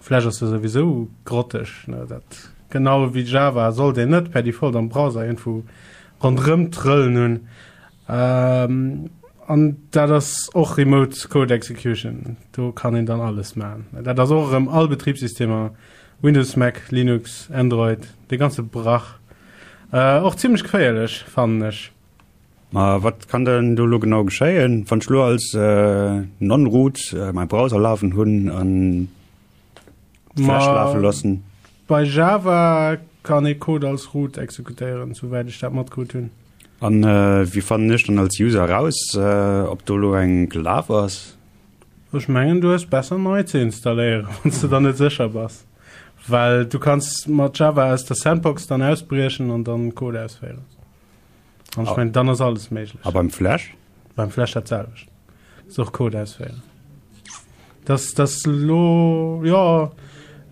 Flash ass jo souwisou grotteg, ne? Dat genau wéi Java sollt een net per Default am Browser iergendwou ronderëm trëllen hunn. An dat ass och Remote Code Execution, do kann een dann alles maachen. Dat ass och erëm all Betribssystemer, Windows, Mac, Linux, Android, dee ganze Brach. Och zimmlech geféierlech, fannen ech. Ma wat kann denn do lo genau geschéien, wann ech lo als Non-Root mäi Browser lafen hunn an Flash lafe loossen? Bei Java kann ee Code als Root exekutéieren, souwäit ech dat matkritt hunn. An wéi fannen ech dann als User eraus, ob do lo eng gelaf ass? Ech mengen du hues besser nei ze installéieren, wann s de der net sécher bass, well du kanns mat Java aus der Sandbox dann ausbriechen an dann Code ausféieren. An ech mengen, dann ass alles méiglech. A beim Flash? Beim Flash dat selwecht. Ass och Code ausféieren. Das, das lo, ja,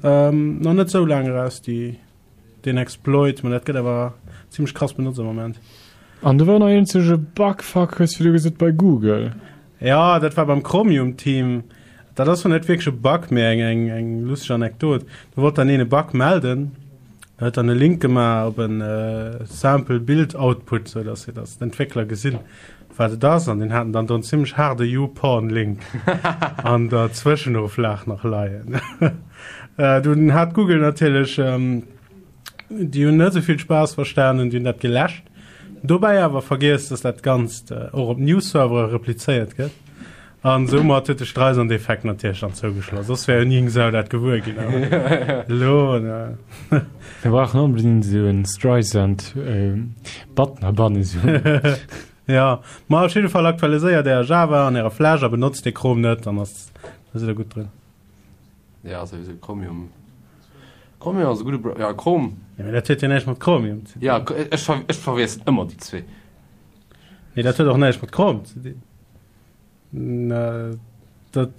ähm, nach net sou laang eraus, déi, deen Exploit, ma dat gëtt awer zimmlech krass benotzt am Moment. An do war nach eenzege Bugfuck, hues du gesot, bei Google. Ja, dat war beim Chromium-Team. Dat ass zwar net wierklech e Bug, mee eng, eng, eng lustig Anekdot. Do wollt dann een e Bug melden, da huet dann e Link gemaach op en Sample Build Output, sou dass dass d'Entwéckler gesinn, wat et ass. An deen haten dann do en zimmlech haarde YouPorn-Link an der Zwëschenoflag nach leien. Dunn hat Google natierlech. Déi hunn net esou vill Spaass verstanen, déi hunn dat geläscht. Dobäi awer vergiess, dass dat Ganzt och op News-Servere replizéiert gëtt. An soumat huet de Streisand-Effekt natierlech dann zougeschloss. Soss wär jo ni eng Sau dat gewuer ginn. Awer elo, ne. Mir brauchen onbedingt esou en Streisand-Button abannen, esou. Ja, ma op jidde Fall aktualiséiert Äer Java an Äre Flash a benotzt dee Krom net, dann ass, da sidd Der gutt drun. Ja, souwisou Chromium. Chromium ass e gudde Bra ja, Chrome. Ja, mee dat huet jo näischt mat Chromium ze dinn. Ja, ech, ver ech verwiesselen ëmmer déi zwee. Nee, dat huet och näischt mat Chrome ze dinn. Na, dat,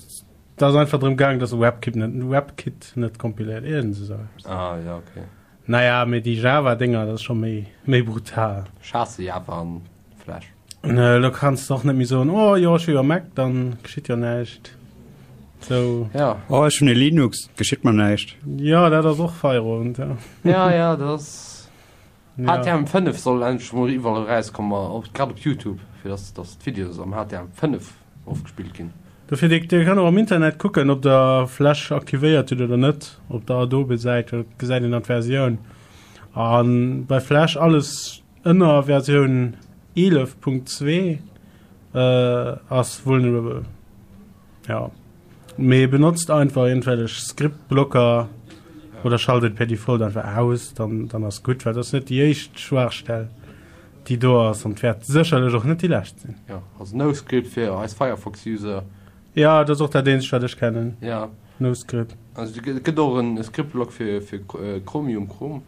dat ass einfach drëm gaang, dass WebKit net, WebKit net kompiléiert, iergend esou eppes. Ah, ja, okay. Naja, mee déi Java-Dénger, dat ass scho méi, méi brutal. Ech haasse Java an Flash. Elo kanns de och net méi soen, oh jo, ech hu jo e Mac, dann geschitt jo näischt. Sou. Ja. Oh, ech hunn e Linux, geschitt mer näischt. Jo, dat ass och Feierowend, ja. Ja, ja, dat ass. Ja. HTML5 soll endlech mol iwwerall erauskommen, och grad op Youtube, fir dass, dass d'Videos am HTML5 ofgespillt ginn. Dofir, dir, dir kënnt och am Internet kucken, ob der Flash aktivéiert hutt oder net, op der Adobe-Säit, do gesäit een dann d'Versioun. A bei Flash alles Ënner Versioun 11.2 ass vulnerable. Ja. Mee benotzt einfach irgendwelch Scriptblocker oder schalt et per Default einfach aus, dann, dann ass gutt, well dat ass net déi éischt Schwaachstell, déi do ass an wäert sécherlech och net déi lescht sinn. Ja, also NoScript fir eis Firefox-User. Ja, dat ass och dat eenzegt, wat ech kennen. Ja. NoScript. Also et gëtt och en Scriptblock fir, fir Chromium, Chrome.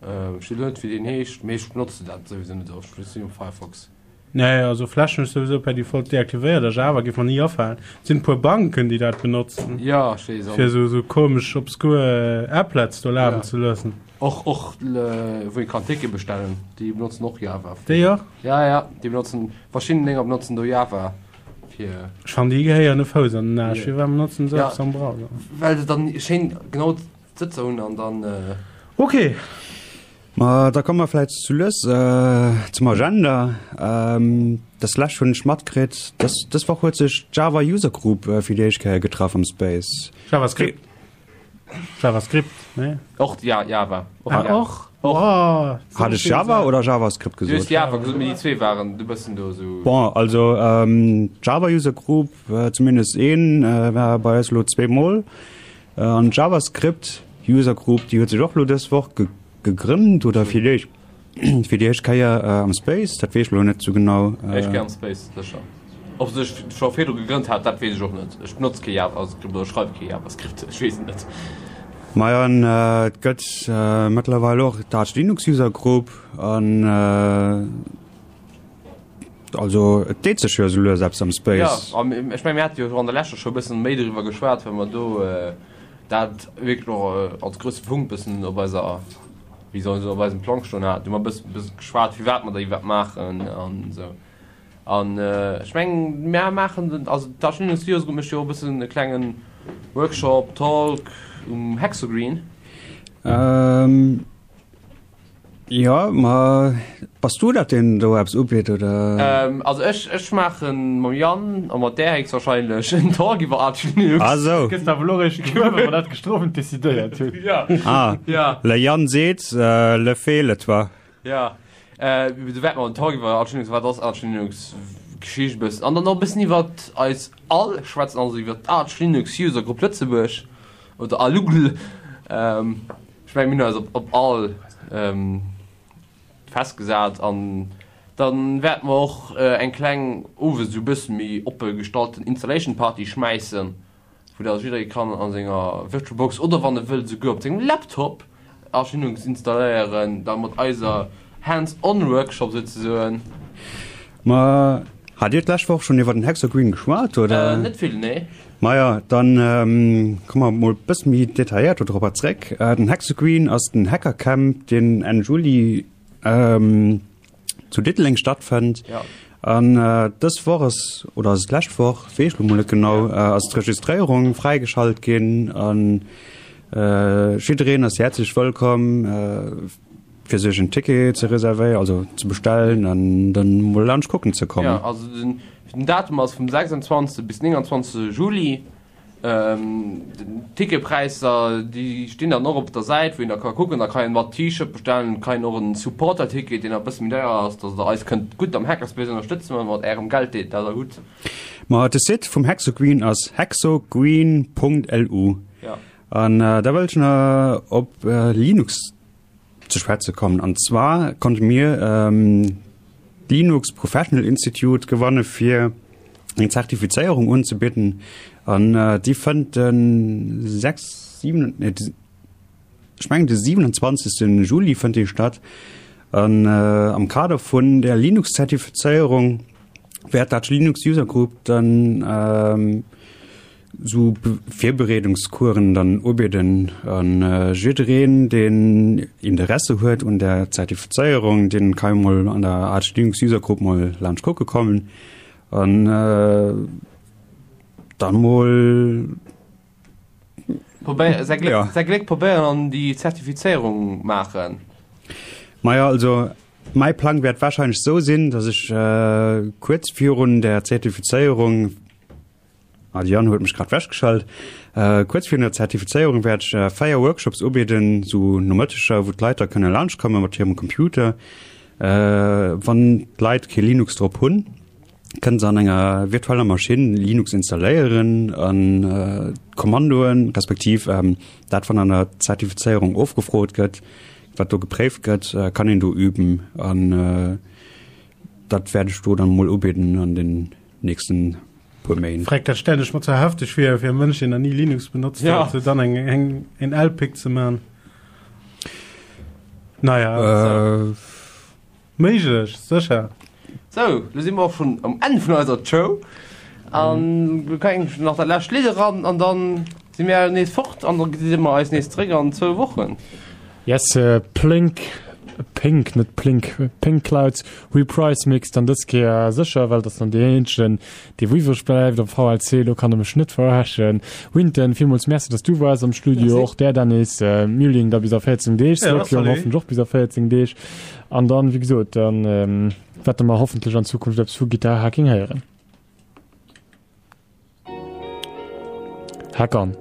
Ech weess net wéi deen heescht, mee ech benotzen dat souwisou net oft, ech sinn um Firefox. Nee, also Flash hunn ech souwisou per Default deaktivéiert a Java géif mer ni afalen. Et sinn e puer Banken déi dat benotzen. Ja, ech weess. Fir esou esou komesch obskur Applets do lafen Ja. ze loossen. Och och wou ee kann Tickete bestellen, déi benotzen och Java. Déi och? Ja, ja, déi benotzen, verschidden Dénger benotzen do Java fir. Ech fannen déi gehéieren e Fouss an den Aarsch. Firwat benotzen se Ja. eppes am Browser? Well se dann schéin genau Sëtzer hunn an dann. Ok. Ma da komme mer vläicht sou lues zum Agenda. Dës Lescht hunn ech matkritt, dës, dës Woch huet sech d'Java User Group fir déi éischt Kéier getraff am Space. JavaScript. JavaScript, nee? Och, ja, Java. Och, ah, och? Och. Oh, Hat ech Java oder JavaScript gesot? Du hues Java gesot, mee déi zwee waren e bëssen do esou. Bon, also d'Java User Group, zumindest een, war bei eis elo zweemol. An d'JavaScript User Group, déi huet sech och elo dës Woch gegrënnt oder fir déi fir déi éischt Kéier am Space, dat weess ech elo net sou genau. Éischt Kéier am Space, sécher. Ob se sech scho virdru gegrënnt hat, dat weess ech och net. Ech benotze kee JavaScript oder schreiwe kee JavaScript, ech weess et net. Majo, an et gëtt mëttlerweil och d'Arch Linux User Group an. Also et deet sech jo esou lues eppes am Space. Jo, a ech mengen, mir hate jo och an der leschter Show e bëssen méi doriwwer geschwat, well mer do dat wierklech och als grousse Punkt bëssen op eiser, wéi soll een soen, op eisem Plang stoen haten. Do hu mer e bëssen, bëssen geschwat, firwat mer dat iwwerhaapt maachen an esou. An ech mengen, mer maachen den, also d'Arch Linux User Group mécht jo och e bëssen e klengen Workshop, Talk um Hexogreen. Jo, ma bass du dat deen do eppes ubitt oder? Ähm, also ech, ech maachen mam Yann a mat där héchstwahrscheinlech en Talk iwwer Arch Linux. Ah sou. Gëss awer elo réischt gewuer, well mer dat gestrofend decidéiert hunn. Ja. Ah. Ja. Le Yann seet, le fais le toi. Ja. Äh, do wäerte mer en Talk iwwer Arch Linux, wat ass Arch Linux, Geschicht e bëssen an dann och e bëssen iwwer eis all schwätzen, also iwwer d'Arch Linux User Group Lëtzebuerg oder ALUGL. Ähm. Ech mengen, mir hunn eis op all festgesat an da wäerte mer och eng kleng, owes esou e bësse méi oppe gestalten Installation Party schmäissen, wou da jidderee kann a senger Virtual Box oder wann e wëllt esouguer op sengem Laptop Arch Linux installéieren, da mat eiser Hands-on Workshop souzesoen. Ma hat Dir d'lescht Woch schonn iwwer den Hexagreen geschwat, oder? Net vill, nee. Maja, dann komme mer mol bësse méi detailléiert do dropper zréck. Den Hexagreen ass den Hackercamp, deen Enn Juli zu Diddeleng stattfënnt. Ja. An dës Woch ass, oder ass et d'lescht Woch, weess ech lo mol net genau, ass d'Registréierung fräigeschalt ginn. An jiddereen ass häerzlech wëllkomm. Fir sech en Ticket ze reservéieren, also ze bestellen an dann mol laanscht kucken ze kommen. Jo, also den Datum ass vum 26 bis 29 Juli. D'Ticketpräisser déi stinn dann och op der Säit, wou een da ka kucken. Da kann een mat T-Shirt bestellen, kann een och en Supporter-Ticket, deen e bësse méi deier ass, dass der eis kënnt gutt am Hackerspace ënnerstëtzen mat ärem Geld, dat der hutt. Ma de Site vum Hexogreen ass hexogreen.lu. Jo. An da wëll ech nach op Linux ze schwätze kommen. An zwar konnte mir d'Linux Professional Institute gewanne fir eng Zertifizéierung unzebidden. An déi fënnt de 6, 7, nee, ech mengen de 27. Juli fënnt déi statt. An am Kader vun der Linux-Zertifizéierung wäert dat Linux User Group dann Sou Virbereedungskueren dann ubidden an jiddereen deen Interesse huet un der Zertifizéierung, deen ka jo mol an der Arch Linux User Group mol laanscht kucke kommen an dann mol Probéier, säi Gléck, säi Gléck probéieren an déi Zertifizéierung maachen. Majo, also mäi Plang wäert wahrscheinlech sou sinn, dass ech kuerz virun der Zertifizéierung, Ah, de Yann huet mech grad wechgeschalt. Äh, kuerz virun der Zertifizéierung wäert ech äh, 4 Workshops ubidden, sou Nomëtteger, wou d'Leit da kënne laanscht komme mat hirem Computer. Äh, wann d'Leit kee Linux drop hunn, kënnen se an enger virtueller Maschinn Linux installéieren an äh, d'Kommandoen, respektiv ähm, dat, wat an der Zertifizéierung ofgefrot gëtt, wat do gepréift gëtt, äh, kann een do üben. An äh, dat wäert ech do dann mol ubidden an den nächsten puer Méint. Freck, dat stellen ech mer ze hefteg vir fir e Mënsch deen nach ni Linux benotzt Ja. huet, fir dann eng eng en LPIC ze man. Naja, Äh, méiglech, sécher. Sou, lo si mer och schonn am Enn vun eiser Show. An lo kann ech nach dat lescht Lidd eran an dann si mir nees fort an da gesi mer eis nees zeréck an zwou Wochen. Yes, Plink, Pink, net Plink, Pink Clouds Reprise Mix dann dës Kéier sécher, well et ass dann deen eenzegen, dee wou iwwreg bleift am VLC. Lo kann e mech net verarschen. Winton, villmools Merci, dass du waars am Studio, och där Dennis, Mülling da bis a 14 Deeg, Ja, Scorpion salut. hoffentlech och bis a 14 Deeg. An dann, wéi gesot, dann wäerte mer hoffentlech an Zukunft eppes vu Guitar Hacking héieren. Hack on!